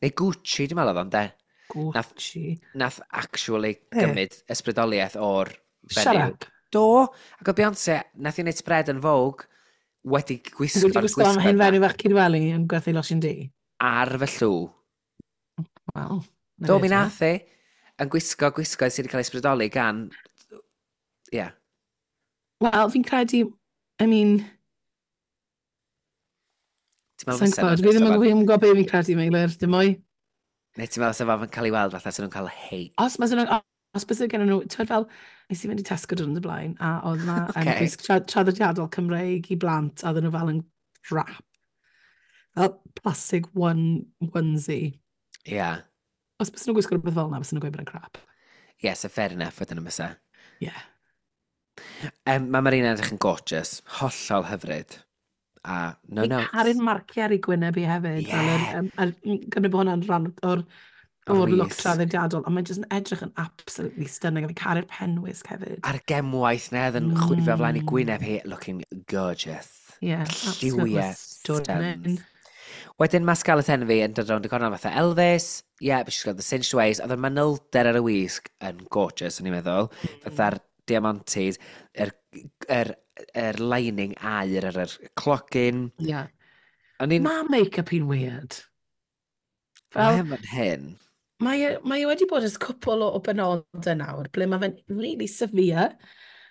Neu Gucci, dwi'n meddwl oedd o'n de. Gucci. Nath actually Be? gymryd ysbrydoliaeth o'r Shut fenyw. up. Do, ac oedd Beyoncé, nath i wneud spread yn Vogue, wedi gwisgo'r Wedi gwisgo am gwisgoedd hen 'na fenyw fach Cydweli yn gwerthu losin du. Ar fy llw. Wel, na Do, fe mi te. nath i, yn gwisgo gwisgoedd sydd wedi cael ei ysbrydoli gan. Ie. Yeah. Wel, fi'n credu, I mean, Ti'n meddwl sa'n fysa gwybod, nhw'n fi ddim yn fysa fi ddim yn gwybod beth fi'n credu, Meilir, dim mwy. Neu ti'n meddwl sef yn cael ei weld fatha sy'n nhw'n cael hate? Os bys gen nhw, ti'n fel, nes i fynd i Tesco dwrnod y blaen, a oedd na gwisg traddodiadol Cymreig i blant, a oedden nhw fel yn wrap. Fel plastic onesie. Ie. Yeah. Os bys nhw'n gwisgo rhywbeth fel yna, bys nhw'n gweud bod yn crap. Ie, so fair enough wedyn yn bysa. Yeah. Mae Marina edrych yn gorgeous. Hollol hyfryd. A no Fi'n notes. caru'r marciau ar ei gwyneb i hefyd. Fel gymryd bod hwnna'n rhan O'r o'r look wisg. traddodiadol, ond mae'n jyst yn edrych yn absolutely stunning. A fi'n caru'r penwisg hefyd. A'r gemwaith na oedd yn chwifio flaen i gwyneb hi, looking gorgeous. Yeah, absolutely Lliwiau stunning. stuns. Wedyn mae Scarlett Envy yn dod rownd y cornel fatha Elvis. Yeah, but she's got the cinched waist. Oedd y manylder ar y wisg yn gorgeous, o'n i'n meddwl. Fatha'r diamantes, yr lining aur ar yr clogin. O'n i'n. Mae make-up hi'n weird. Fel, Mae fan hyn. mae e wedi bod ers cwpl o benodau nawr, ble mae fe'n really severe.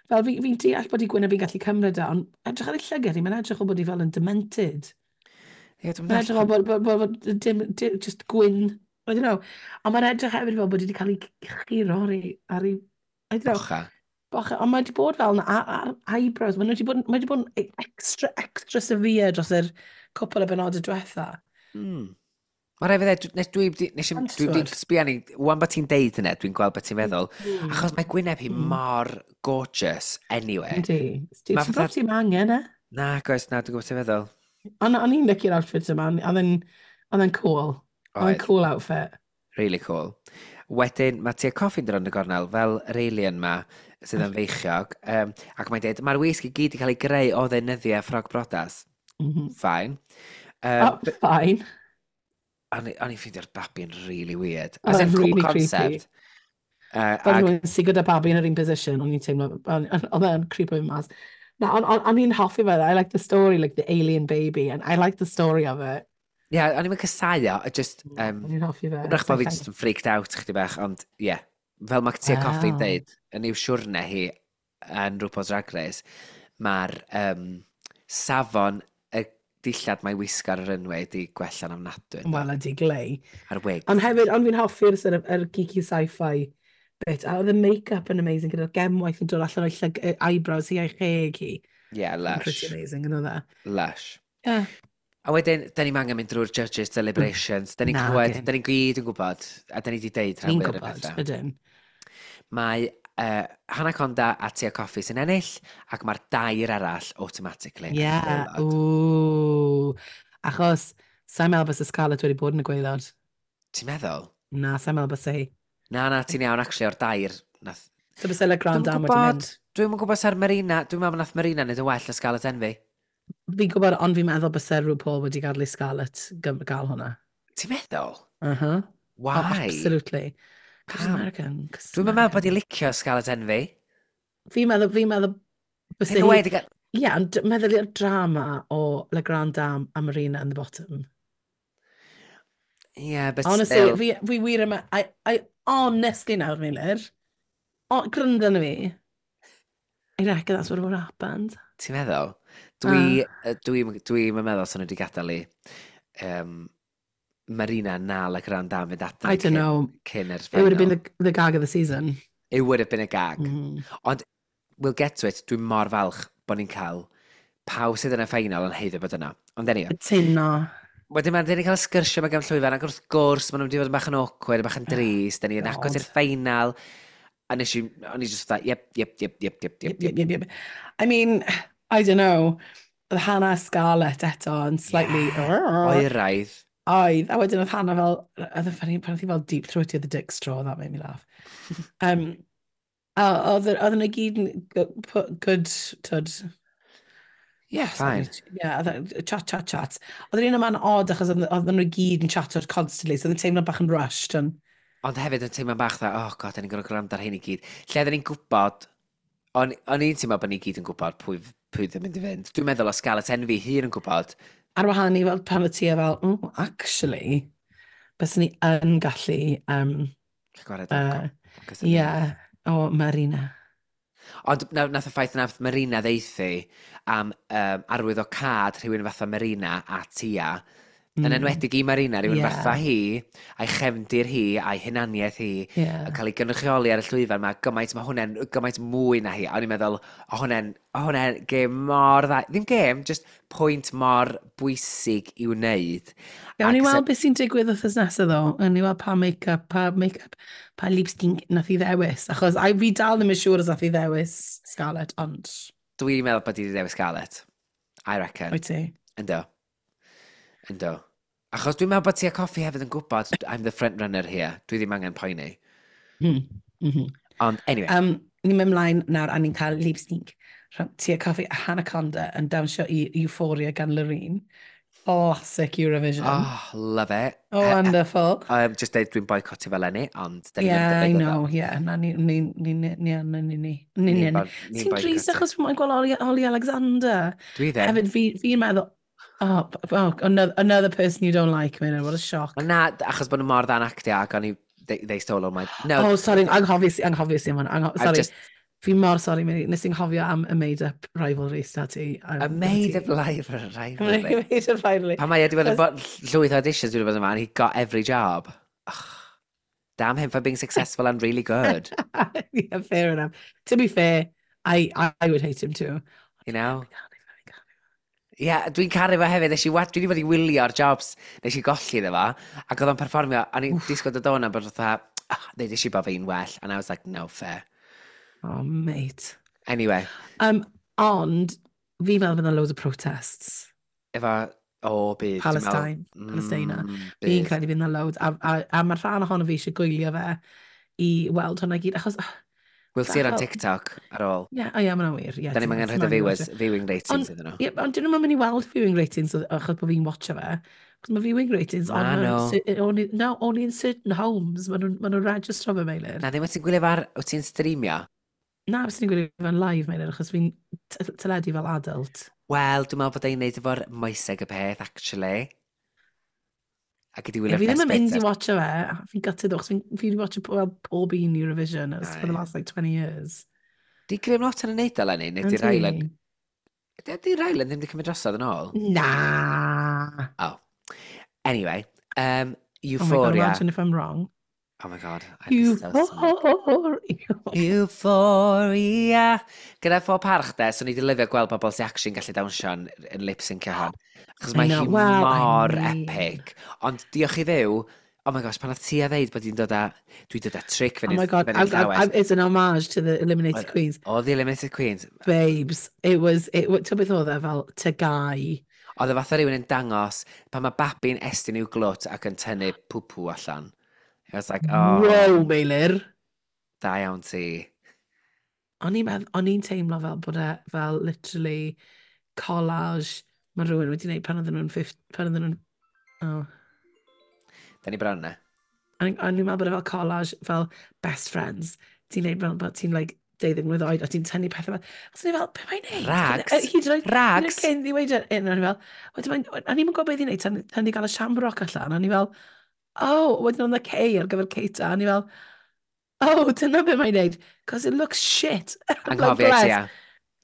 Fel fi'n deall bod ei gwyneb hi'n gallu cymryd e, ond edrych ar ei llygad hi, mae'n edrych o bod hi fel yn demented. Ie, dwi'n Mae'n edrych o bod dim, just gwyn, I don't know. Ond mae'n edrych hefyd fel bod hi wedi cael ei churo ar ei, I don't know. Bocha. Bocha, ond mae wedi bod fel yna, ar eyebrows, mae wedi bod yn extra, extra severe dros yr cwpl o benodau diwetha. Mae rhaid fi ddweud, nes dwi wedi, nes i, Ond dwi wedi t'wod. sbio ni, wan bod ti'n deud hynny, dwi'n gweld beth ti'n feddwl. Achos mae gwyneb hi mor gorgeous, anyway. Yndi. Ti'n gwybod ti'n angen, e? Na, goes, na, dwi'n gwybod ti'n feddwl. Ond o'n i'n licio'r outfit yma, oedd e'n cool. Oedd e'n Oedd. cool outfit. Really cool. Wedyn, mae Tia Kofi'n dod rownd y gornel fel yr alien ma sydd yn feichiog. Ac mae'n dweud, mae'r wisg i gyd wedi cael ei greu o ddeunyddiau ffrog brodas. Fine. Oh, fine. O'n i'n ffeindio'r babi'n really weird. Oedd As in, e'n cool really creepy. concept. Fel rhywun sydd gyda babi yn yr un position, o'n i'n teimlo, oedd e'n creepo fi mas. Na, ond i'n hoffi fe, I like the story, like the alien baby, and I like the story of it. Ie, yeah, o'n i'n casau o, just O'n i'n hoffi fe. Wrach bod fi just yn freaked out chdi bach, ond ie. Yeah. Fel mae Tia Kofi'n deud, yn i'w siwrne hi yn RuPaul's Drag Race, mae'r safon y dillad mae wisgo ar yr runway di gwella'n ofnadwy, yndo? Wel, ydi glei. A'r wigs. Ond hefyd, ond fi'n hoffi'r sort of, yr geeky sci-fi bit, a oedd y make-up yn amazing, gyda'r gemwaith yn dod allan o'i eyebrows hi a'i cheg hi. Yeah, lush. Pretty amazing, yn oedd e. Lush. Yeah. A wedyn, da ni'n angen mynd drwy'r judges deliberations. Da ni'n Na, clywed, gyn. da ni'n gyd yn gwybod, a da ni wedi deud rhan Ni'n fwyaf o'r gwybod, pethau. ydyn. Mae Hannah Conda a Tia Kofi sy'n ennill, ac mae'r dair arall automatically yn gwaelod. Ooh. Achos, sa'n meddwl bys y Scarlett wedi bod yn y gwaelod. Ti'n meddwl? Na, sa'n meddwl bys hi. Na, na, ti'n iawn, actually, o'r dair. Nath. So bys La Grande Dwi'm yn Dame wedi gwybod. mynd. Dwi'm yn gwybod sa'r Marina, dwi'n meddwl nath Marina wneud yn well na Scarlett Envy. Fi'n gwybod, ond fi'n meddwl bys RuPaul wedi gadael i Scarlett gael hwnna. Ti'n meddwl? Uh-huh. Why? Oh, absolutely. Cos American. Dwi'n meddwl bod i licio Scarlett Envy. Fi'n meddwl, fi'n meddwl... Take away to get... Ie, yeah, ond meddwl i'r drama o La Grande Dame a Marina in the bottom. Yeah, but honestly, still. Fi wir yma... I honestly nawr, Meilir. O, gryndo na fi. I reckon that's what would happened. Ti'n meddwl? Dwi, dwi meddwl sy'n nhw wedi gadael i Marina na La Grande Dame fynd adre I don't know. Cyn yr final. It would have been the gag of the season. It would have been a gag. Ond, we'll get to it, dwi'n mor falch bod ni'n cael pawb sydd yn y final yn haeddu bod yna. Ond anyway. Cytuno. Wedyn mae'n ni'n cael sgyrsio mae gan llwyfan, ac wrth gwrs, maen nhw'n wedi fod yn bach yn awkward, bach yn drist, da ni'n agos i'r final, a nes i, o'n i just fatha, yep. Yep. I mean, I don't know, oedd Hannah Scarlett eto yn slightly... Yeah. Oeraidd. Oedd, a wedyn oedd Hannah fel, oedd yn funny, pan oedd hi fel deep throatio the dick straw, that made me laugh. A oedd nhw gyd yn good, tyd. Yeah, fine. Yeah, chat, chat, chat. Oedd yr un yma'n odd achos oedd nhw gyd yn chatio constantly, so oedd yn teimlo bach yn rushed. And... Ond hefyd yn teimlo bach dda, oh god, da ni'n gorfod gwrando ar hyn i gyd. Lle oedden ni'n gwybod, o'n i'n teimlo bod ni gyd yn gwybod pwy ddim mynd i fynd. Dwi'n meddwl o Scarlett Envy hun yn gwybod. Ar wahân i fel pan o ti fel, oh, actually, byswn ni yn gallu... Gwared yeah, o Marina. Ond nath y ffaith nath Marina ddeithi am arwydd o cad rhywun fatha Marina a Tia, yn enwedig i Marina, rhywun fatha hi, a'i chefndir hi, a'i hunaniaeth hi, yn cael ei gynrychioli ar y llwyfan, mae gymaint, mae hwnna'n gymaint mwy na hi. A o'n i'n meddwl, o hwnna'n gêm mor dda. Ddim gêm, just pwynt mor bwysig i'w wneud. Gawn ni weld beth sy'n digwydd wythnos nesaf ddo. Gawn ni weld pa make-up, pa lipstick nath i ddewis. Achos fi dal ddim yn siŵr os nath i ddewis Scarlett, ond... Dwi'n meddwl bod i wedi ddewis Scarlett. I reckon. Wyt ti? Ynddo. Ynddo. Achos dwi'n meddwl bod Tia Kofi hefyd yn gwybod I'm the front runner here. Dwi ddim angen poeni. Ond, anyway. Ni'n mynd mlaen nawr a ni'n cael lip sync rhwng Tia Kofi a Hannah Conda yn dawnsio i Euphoria gan Loreen. Classic Eurovision. Oh, love it. Oh, wonderful. Just deud dwi'n boicotio fel enni, ond... Yeah, I know, yeah. Na, ni. Ti'n drist achos fi'n gweld Ollie Alexander. Dwi ddim. Hefyd, fi'n meddwl, oh, another person you don't like, man, what a shock. Na, achos bod nhw mor dda'n actio ac o'n i, they stole all my... No. Oh, sorry, anghofies i am hwnna. Sorry. Fi mor sorry, Mary. Nes i'n nghofio am y made-up rivalry sta ti. A made-up rivalry? Made-up rivalry. Pan mae wedi bod yn llwyth auditions wedi bod yma, and he got every job. Ugh. Damn him for being successful and really good. Yeah, fair enough. To be fair, I would hate him too. You know? Yeah, dwi'n caru fo hefyd. Nes i dwi wedi bod i wylio'r jobs, nes i golli iddo fo, ac oedd o'n perfformio, a ni'n disgwyl dod o'na bod fatha, oh, ddeud i bod fi'n well, and I was like, no fair. Oh, mate. Anyway. Ond, fi'n meddwl bydd yna loads o protests. Efo, bydd. Palestine, Palestina. Fi'n credu bydd yna loads. A mae'r rhan ohono fi eisiau gwylio fe i weld hwnna gyd, achos... We'll see it on TikTok ar ôl. Ie, oh, yeah, mae'n wir. Yeah, da ni'n angen rhaid o viewing ratings iddyn nhw. Ie, ond dyn nhw'n mynd i weld viewing ratings achos bod fi'n watcho fe. Achos mae viewing ratings only, no, only in certain homes. Maen nhw'n registro fe, Meilir. Na, ddim wyt ti'n gwylio fe ar, wyt ti'n streamio? Na, fes ni'n gwylio fe'n live, Meilir, achos fi'n teledu fel adult. Wel, dwi'n meddwl bod e'n neud efo'r moeseg y peth, actually. Ac ydi wylio'r best bit. Fi ddim yn mynd i watcho fe. Fi'n gutted achos fi wedi watcho fel pob un Eurovision for the last like 20 years. Di Graham Norton yn neud o, Lenny? Neu di Ryland? Di Ryland ddim wedi cymryd drosodd yn ôl? Na! Oh. Anyway, Euphoria. Oh my God, imagine if I'm wrong. Oh my God. Euphoria. Euphoria. Gyda phob parch de, so ni wedi lyfio gweld bobl sy'n actually'n gallu dawnsio'n yn lip-syncio hon. Achos mae hi mor epic. Ond diolch i Dduw, oh my gosh, pan oedd ti a ddeud bod hi'n dod â, dwi'n dod â trick fyny. Oh my God, it's an homage to the Eliminated Queens. Oh, the Eliminated Queens. Babes, it was, ti'n beth oedd e fel, to guy. Oedd e fatha rhywun yn dangos pan mae babi'n estyn i'w glwt ac yn tynnu pwpw allan. I was like, oh. Wow, Meilir. Da iawn ti. O'n i'n teimlo fel bod e fel literally collage mae rhywun wedi gwneud pan oedden nhw'n... Pan oedden nhw'n... Oh. Da ni bron na. O'n i'n meddwl bod e fel collage, fel best friends. Ti'n neud fel bod ti'n like, 12 mlwydd oed, a ti'n tynnu pethau fel. Os o'n i fel, be mae'n neud? Rags. Hyd yn oed Rags. Cyn ddiweud un, o'n i fel, wedyn mae'n, o'n i'n gwybod beth i'n neud tan i gael y shamrock allan, o'n i fel, oh, wedyn oedd y K ar gyfer Keita, o'n i fel, oh, dyna be mae'n neud, cos it looks shit. Anghofio ti, ia.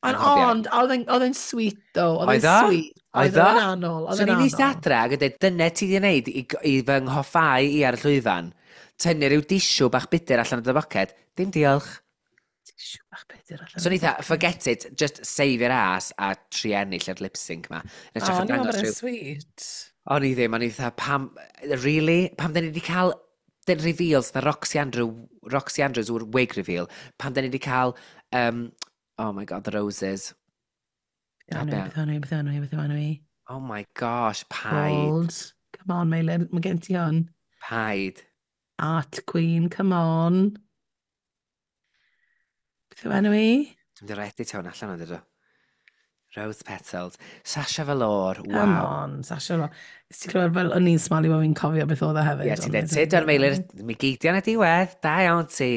Ond, oedd e'n sweet, though. Oedd e'n sweet. Oedd o'n anol. So ni'n eistedd adre ac yn dweud, dyna ti di wneud i fy nghoffau i ar y llwyfan. Tynnu rhyw disiw bach budur allan o dy boced. Dim diolch. Tisiw bach budur allan. So ni dda, forget it, just save your ass a tri ennill yr lip sync ma. O, o'n i'n meddwl sweet. O'n i ddim, o'n i dda, pam, really? Pam da ni wedi cael the reveals, the Roxy Andrew, Roxy Andrews yw'r wig reveal, pam da ni wedi cael, oh my God, the roses. Beth enw, beth enw, beth enw? Oh my gosh, paid. Bold. Come on, Meilir, mae gen ti hwn. Paid. Art Queen, come on. Beth yw enw i? Dwi'n mynd i edit hwn allan o'n dydw. Rose Petals. Sasha Velour, wow. Come on, Sasha Velour. Nes ti clywed fel o'n i'n smalu bod fi'n cofio beth oedd e hefyd. Ie, ti'n dweud, tyd o'r Meilir, mi geidio yn y diwedd, da iawn ti.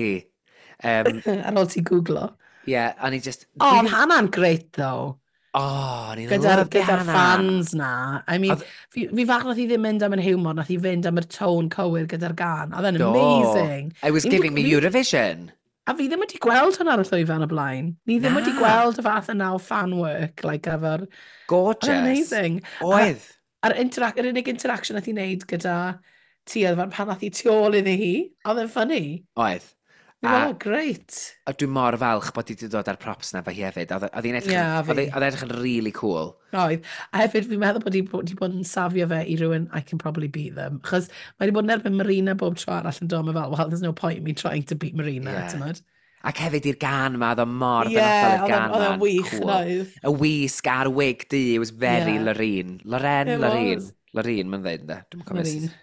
Ar ôl ti googlo. Ie, yeah, o'n i just. Oh, oedd Hannah'n great, though. Oh, o'n i'n lyfio Gyda'r fans na. I mean, fi fach nath i ddim mynd am yr humor, nath i fynd am yr tone cywir gyda'r gan. Oedd e'n amazing. I was giving me Eurovision. A fi ddim wedi gweld hwnna ar y llwyfan o blaen. Ni ddim wedi gweld y fath yna o fan work, like, efo'r. Gorgeous. Amazing. Oedd. A'r yr unig interaction nath i wneud gyda ti oedd pan nath i tu ôl iddi hi. Oedd e'n funny. Oedd. A, oh, great. A dwi'n mor falch bod hi wedi dod ar props na fo hi hefyd. Oedd hi'n edrych, yeah, oedd edrych yn really cool. Oedd. A hefyd fi'n meddwl bod hi wedi bod yn safio fe i rhywun "I can probably beat them." Chos mae wedi bod yn erbyn Marina bob tro arall yn dod, mae fel, "Well, there's no point in me trying to beat Marina," yeah. Ac hefyd i'r gan ma, oedd o mor benodol i'r gan ma. Oedd o'n wych, cool. Oedd. Y wisg a'r wig du, it was very yeah. Loreen. Loreen, Loreen. Loreen, mae'n dweud, ynddo? Dwi'n cofio. Loreen.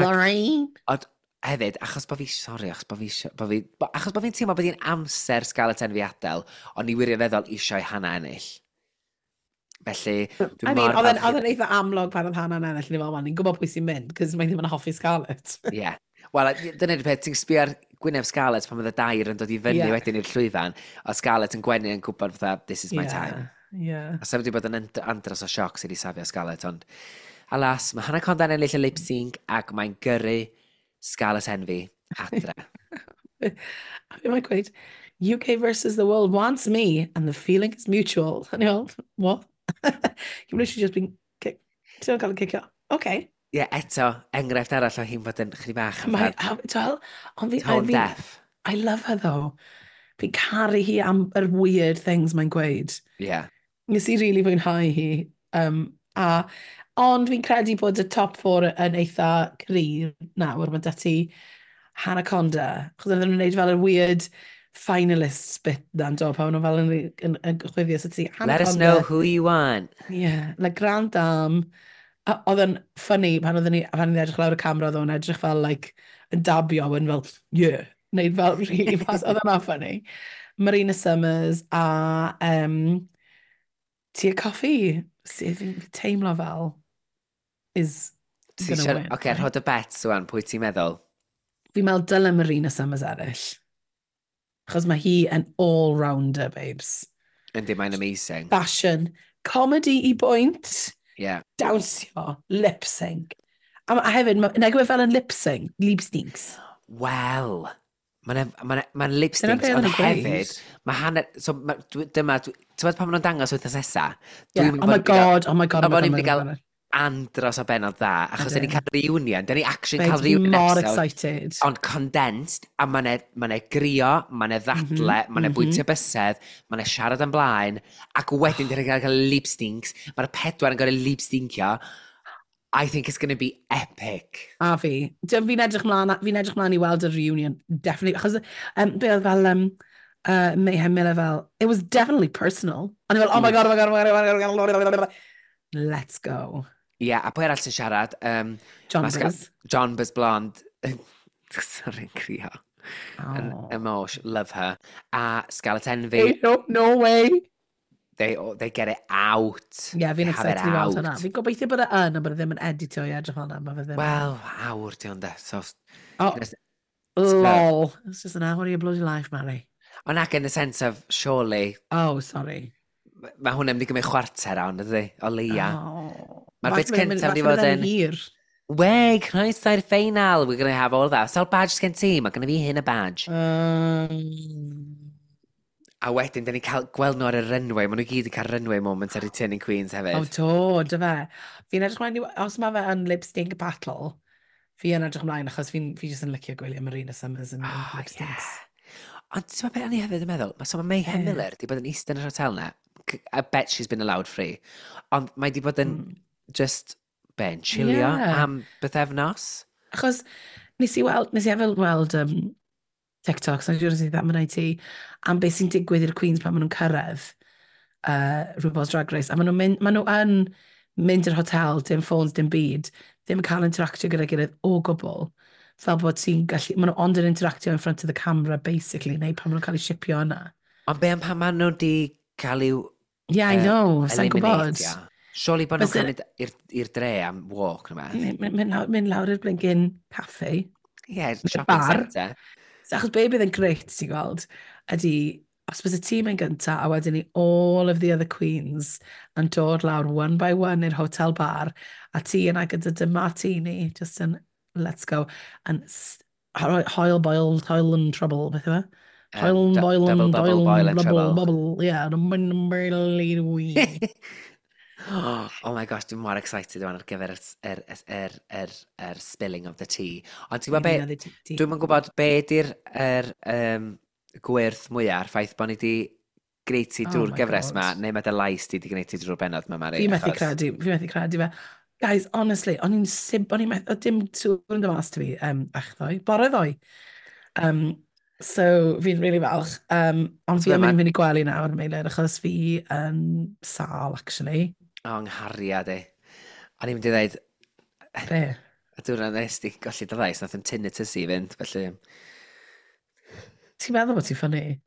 Loreen. Ond hefyd, achos bod fi, sorry, achos bod fi, bo fi, bo, achos bod fi'n teimlo bod hi'n amser Scarlett Envy adael, ond ni wirioneddol eisiau Hannah ennill. Felly, dwi'n I mean, oedd e'n eitha amlwg pan oedd Hannah'n ennill, ni fel, "Wel, ni'n gwybod pwy sy'n mynd, cos mae ddim yn hoffi Scarlett." Ie. Yeah. Wel, dyna'r peth, ti'n sbio ar gwyneb Scarlett pan oedd y dair yn dod i fyny wedyn i'r llwyfan, a Scarlett yn gwenu yn gwybod fatha, "This is my time." A sef wedi bod yn andros o sioc sydd wedi safio Scarlett, ond alas, mae Hannah Conda'n ennill y lip sync ac mae'n gyrru Scarlett Envy adre. A fi mae'n gweud, "UK versus the world wants me and the feeling is mutual." And you're all, "What? You've literally just been kicked." Ti'n cael ei cicio. Okay. Ie, yeah, eto, enghraifft arall o hi'n fod yn chydig bach yn Mae, ond fi, tone deaf. I love her though. Fi'n caru hi am yr weird things mae'n gweud. Nes i really fwynhau hi. A, ond fi'n credu bod y top four yn eitha cryf nawr. Mae 'da ti Hannah Conda. Chos oedden nhw'n gwneud fel y weird finalists bit na'n do, pan maen nhw fel yn chwifio. So ti Hannah Let us know who you want. Yeah, La Grande Dame. A oedd yn funny pan oedden ni, pan ni'n edrych lawr y camera, oedd o'n edrych fel, like, yn dabio, yn fel, "Yeah," neud fel really fast. Oedd hwnna'n funny. Marina Summers a Tia Kofi, sydd fi'n teimlo fel is gonna win. Oce, okay, rhod y bet wan, pwy ti'n meddwl? Fi'n meddwl dyle Marina Summers ennill. Achos mae hi yn all-rounder, babes. Yndi, mae'n amazing. Fashion, comedy i bwynt, dawnsio, lip sync. A hefyd, nag yw e fel yn lip sync, lip syncs. Wel, mae'n ma ma lip syncs, ond hefyd, mae hanner, so ma, dyma, ti'n gwybod pan maen nhw'n dangos wythnos nesa? Yeah. Oh my God, oh my God. Oh my God, oh my God. Andros o benod dda, achos dyn ni'n cael reunion, dyn ni actually cael reunion mor episode, excited. Ond condensed, a mae'n ma grio, mae'n ddadle, ma bwyntio bysedd, mae'n siarad yn blaen, ac wedyn dyn ni'n cael lip syncs, mae'r pedwar yn gorau lip syncio. I think it's going to be epic. A fi. Fi'n edrych mlaen i weld y reunion, definitely. Achos, be oedd fel, Mayhem Miller fel, "It was definitely personal." A ni fel, "Oh my God, oh my God, oh my God, oh my God, oh my God, oh my God. Let's go." Ie, yeah, a pwy arall sy'n siarad? John Buzz. Jonbers Blonde. Sorry, crio. Oh. Emosh, love her. A Scarlett Envy. Hey, no, no way. They get it out. Ie, yeah, fi'n excited i weld hwnna. Fi'n gobeithio bod e yn, ond bod e ddim yn edito i edrych hwnna. Mae fe ddim. Wel, awr di ond e. So, oh, lol. It's just an hour of your bloody life, Mary. Ond ac in the sense of, surely... Oh, sorry. Mae hwnna'n mynd i gymryd chwarter awn, ydy? O leia. Oh. Mae'r bit cyntaf wedi fod yn... Hir. Wey, croeso i'r ffeinal. We're gonna have all that. Sawl badge gen ti? Mae gynna fi hyn y badge. A wedyn, da ni cael gweld nhw ar y runway. Maen nhw gyd yn cael runway moment ar Returning Queens hefyd. O, do, dy fe. Fi'n edrych mlaen, os mae fe yn lip sync battle, fi yn edrych mlaen achos fi'n fi jyst yn licio gwylio Marina Summers yn oh, lip syncs. Yeah. Ond ti'n meddwl beth o'n i hefyd yn meddwl? Mae so mae Mayhem Miller di bod yn eistedd yn yr hotel na. I bet she's been allowed free. Ond mae di bod yn just ben, chillio am bythefnos. Achos nes i weld, nes i efo weld TikToks, a dwi'n dweud am ti, am beth sy'n digwydd i'r Queens pan maen nhw'n cyrraedd RuPaul's Drag Race. A maen nhw'n mynd, maen nhw yn mynd i'r hotel, dim ffôns, dim byd, ddim yn cael interactio gyda'i gilydd o gwbl. Fel bod ti'n gallu, maen nhw ond yn interactio in front of the camera, basically, neu pan maen nhw'n cael eu shipio yna. Ond be am pan maen nhw di cael i'w Yeah, I know, sa'n gwybod. Surely bod nhw'n cael mynd i'r dre am walk neu beth. Mynd lawr i'r blinking cafe. Ie, shopping centre. So, achos be bydd yn grêt, ti'n gweld, ydy, os bydd y tîm yn gynta, a wedyn ni all of the other queens yn dod lawr one by one i'r hotel bar, a ti yna gyda dy martini, just yn, let's go, and hoil, boil, toil and trouble, beth yw e? Hoil and boil and doil and bubble, bubble, yeah, Oh my gosh, dwi'n mor excited rwan ar gyfer yr spilling of the tea. Ond ti'n gwybod be, dwi'n yn gwybod be di'r gwyrth mwyaf, a'r ffaith bod ni di gwneud ti drwy'r gyfres ma, neu mae dy lais di di gwneud ti drwy'r bennod ma, Mari. Fi methu credu, fi methu credu fe. Guys, honestly, o'n i'n sib, o'n i'n methu, dim sŵn yn dod mas ti fi, echddoe, bore ddoe. So, fi'n really falch. Ond fi yn mynd i gwely nawr, Meilir, achos fi yn sâl, actually. O, nghariad i. O'n i'n mynd i ddweud... Be? Y diwrnod nes di golli dy lais, nath yn tinnitus i fynd, felly... Ti'n meddwl bod ti'n ffynnu?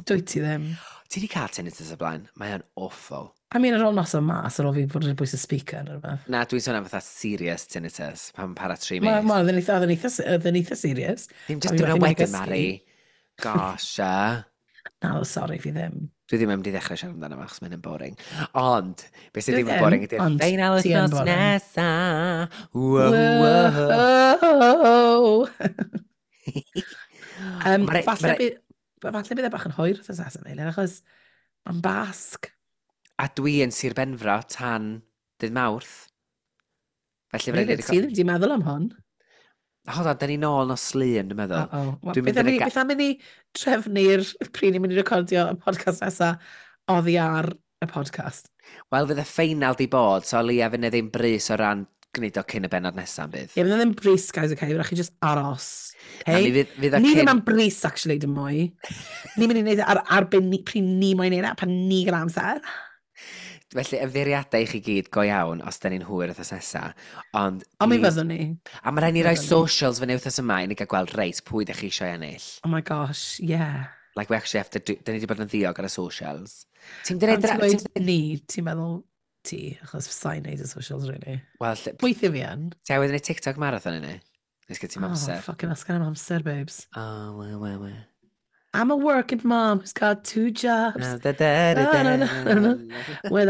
Dwyt ti ddim. Ti di cael tinnitus o blaen? Mae o'n awful. I mean, ar ôl noson mas, ar ôl fi fod yn bwys y speaker neu rhywbeth. Na, dwi'n sôn am fatha serious tinnitus, pan para 3 mis. Oedd yn eitha serious. Ddim just diwrnod wedyn, Mari. Gosh, a. Na, sorry, fi ddim. Dwi ddim yn mynd i ddechrau siarad amdano fo, achos mae'n boring. Ond, beth sydd ddim yn boring ydy'r ffeinal wythnos nesa. Wow. Falle bydd e bach yn hwyr wrth nesaf, Meilir, achos mae'n Basg. A dwi yn Sir Benfro tan dydd Mawrth. Felly Meilir, ti ddim wedi meddwl am hwn? Hold on, da ni nôl nos Lun, dwi'n meddwl. Uh-oh. Beth am i ni trefnu'r pryd ni'n mynd i recordio y podcast nesa oddi ar y podcast? Wel, fydd y ffeinal di bod, so leia fydd ddim brys o ran gwneud o cyn y bennod nesaf bydd. Ie, fydd ddim brys, guys, okay? Fydd chi just aros. Okay? Na, fydd ni ddim am brys, actually, dim mwy. Ni'n mynd i wneud e ar ben pryd ni moyn wneud e, pan ni gyda amser. Felly, ymddiheuriadau i chi gyd go iawn os da ni'n hwyr wythnos nesa. Ond Ond mi fyddwn ni. A mae rhaid ni roi socials fyny wythnos yma i ni gael gweld reit pwy da chi eisiau ennill. Oh my gosh, yeah. Like we actually have to do... Da ni wedi bod yn ddiog ar y socials. Ti'n dweud ni, ti'n meddwl ti, achos sa'n neud y socials, really. Wel, Weithio fi yn. Ti awydd yn TikTok marathon i ni? Nes gyda ti'n amser. Oh, fucking asgan am amser, babes. Oh, well, well, well. I'm a working mom who's got 2 jobs. With the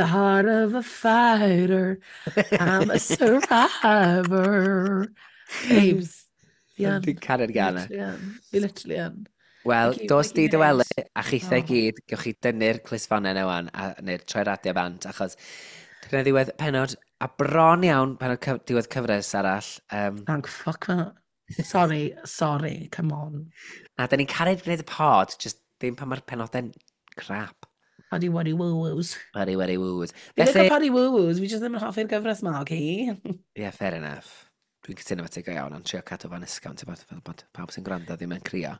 heart of a fighter. I'm a survivor. Babes. Dwi'n caru'r gân. Fi literally yn. Wel, dos di dy wely, a chithau gyd, gewch chi dynnu'r clustffonau yna wan, neu'r troi radio bant, achos dyna ddiwedd pennod, a bron iawn pennod diwedd cyfres arall. Thank fuck that. Sorry, sorry, come on. Na, da ni'n caru gwneud y pod, just ddim pan mae'r penodau'n crap. Paddy waddy woo-woos. Paddy waddy woo-woos. Fi ddim paddy woo-woos, fi just ddim yn hoffi'r gyfres ma, okay? Yeah, fair enough. Dwi'n cytuno fo ti go iawn, ond trio cadw fo'n ysgafn, ti'n bod, fel bod pawb sy'n gwrando ddim yn crio.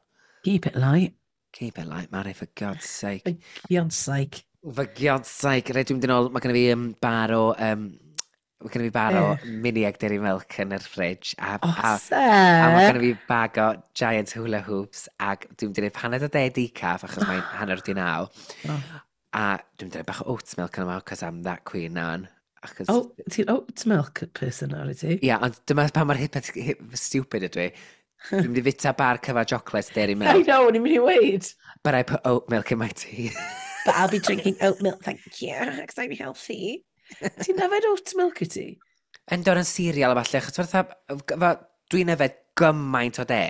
Keep it light. Keep it light, Mari, for God's sake. For God's sake. For God's sake. Rhaid dwi'n mynd yn ôl, mae gennym fi bar o... Mae gennym fi bar o mini egg dairy milk yn yr fridge. A, oh, a, a mae gennym fi bag o giant hula hoops. Ac dwi'n mynd i wneud paned o de decaf, achos mae'n 8:30. Oh. A dwi'n mynd bach o oat milk yn yma, cos I'm that queen now. Achos... Oh, ti'n oat milk person nawr i ti? Ie, yeah, ond dyma pa mor hip, hip, stupid ydw i. Dwi'n mynd i fita bar cyfa chocolate dairy milk. I know, o'n i'n mynd i weid. But I put oat milk in my tea. But I'll be drinking oat milk, thank you, because I'm healthy. Ti'n yfed oat milk i ti? Yn dod yn cereal a falle, achos fatha, dwi'n yfed gymaint o de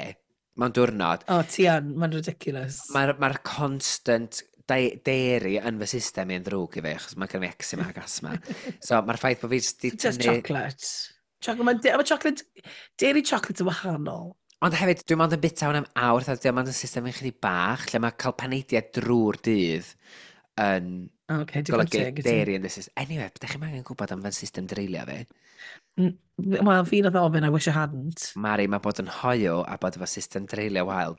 mewn diwrnod. O, oh, ti yn, mae'n ridiculous. Mae'r ma constant dairy yn fy system i yn ddrwg i fi, achos mae gen i eczema ac asthma. So mae'r ffaith bod fi jyst di tynnu... Just chocolate. Chocolate, mae chocolate, dairy chocolate yn wahanol. Ond hefyd, dwi'n mond yn bita hwn am awr, dwi'n mond yn system yn chydig bach, lle mae cael paneidiau drwy'r dydd yn okay, golygu dairy yn the system. Anyway, ydych chi'n angen gwybod am fy system dreulio fi? Wel, fi nath ofyn, I wish I hadn't. Mari, mae bod yn hoyw a bod efo system dreulio wael,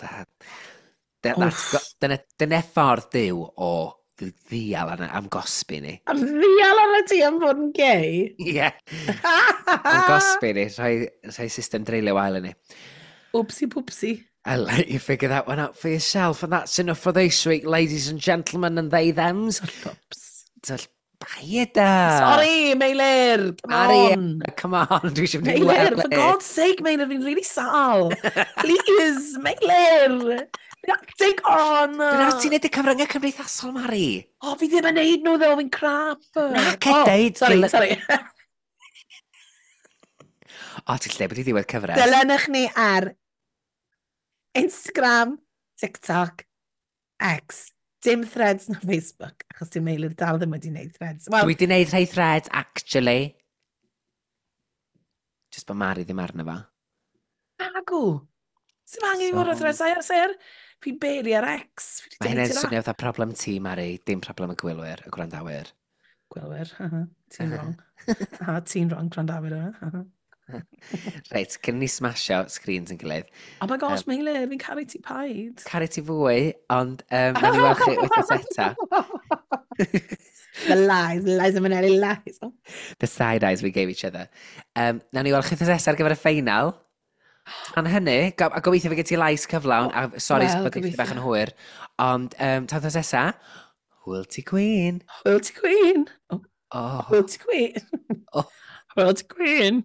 dyna, dyna ffordd Duw o ddial arna am gosbi ni. Am ddial arna ti am fod yn gay? Ie. Yeah. Am gosbi ni, rhoi, rhoi system dreulio wael i ni. Oopsie poopsie. I'll let you figure that one out for yourself. And that's enough for this week, ladies and gentlemen and they thems. Oops. Paida! Sorry, Meilir! Come Ari, on! Come on, dwi eisiau mynd i Meilir, for God's sake, Meilir, fi'n really sal. Please, Meilir! Take on! Dwi'n awr ti'n neud y cyfryngau cymdeithasol, Mari. O, oh, fi ddim yn neud nhw, ddo, fi'n crap. Na, cedeud. Oh, sorry, sorry. O, ti'n lle bod i ddiwedd cyfres. Dilynwch ni ar Instagram, TikTok, X. Dim threads na Facebook, achos dim Meilir dal ddim wedi wneud threads. Well, dwi wedi wneud rhai threads, actually. Just bod Mari ddim arno fo. Agw. Sy'n angen i fod ar threads? Ai ar Fi'n barely ar X. Mae hynny'n swnio fatha problem ti, Mari, dim problem y gwylwyr, y gwrandawyr. Gwylwyr, aha, ti'n wrong. Aha, ti'n wrong, gwrandawyr yma. Reit, cyn ni smasho screens yn gilydd. Oh my gosh, Meilir, fi'n caru ti paid. Caru ti fwy, ond nawn ni weld chi wythnos eta. The lies, lies and Manelli lies. The side eyes we gave each other. Nawn ni weld chi wythnos nesa ar gyfer y ffeinal. Tan hynny, a gobeithio fe gen ti lais cyflawn, a sori well, bod i bach yn hwyr, ond tan wythnos nesa, hwyl ti Queen. Hwyl ti Queen. Oh. Oh. Hwyl ti Queen. Oh. Hwyl ti Queen.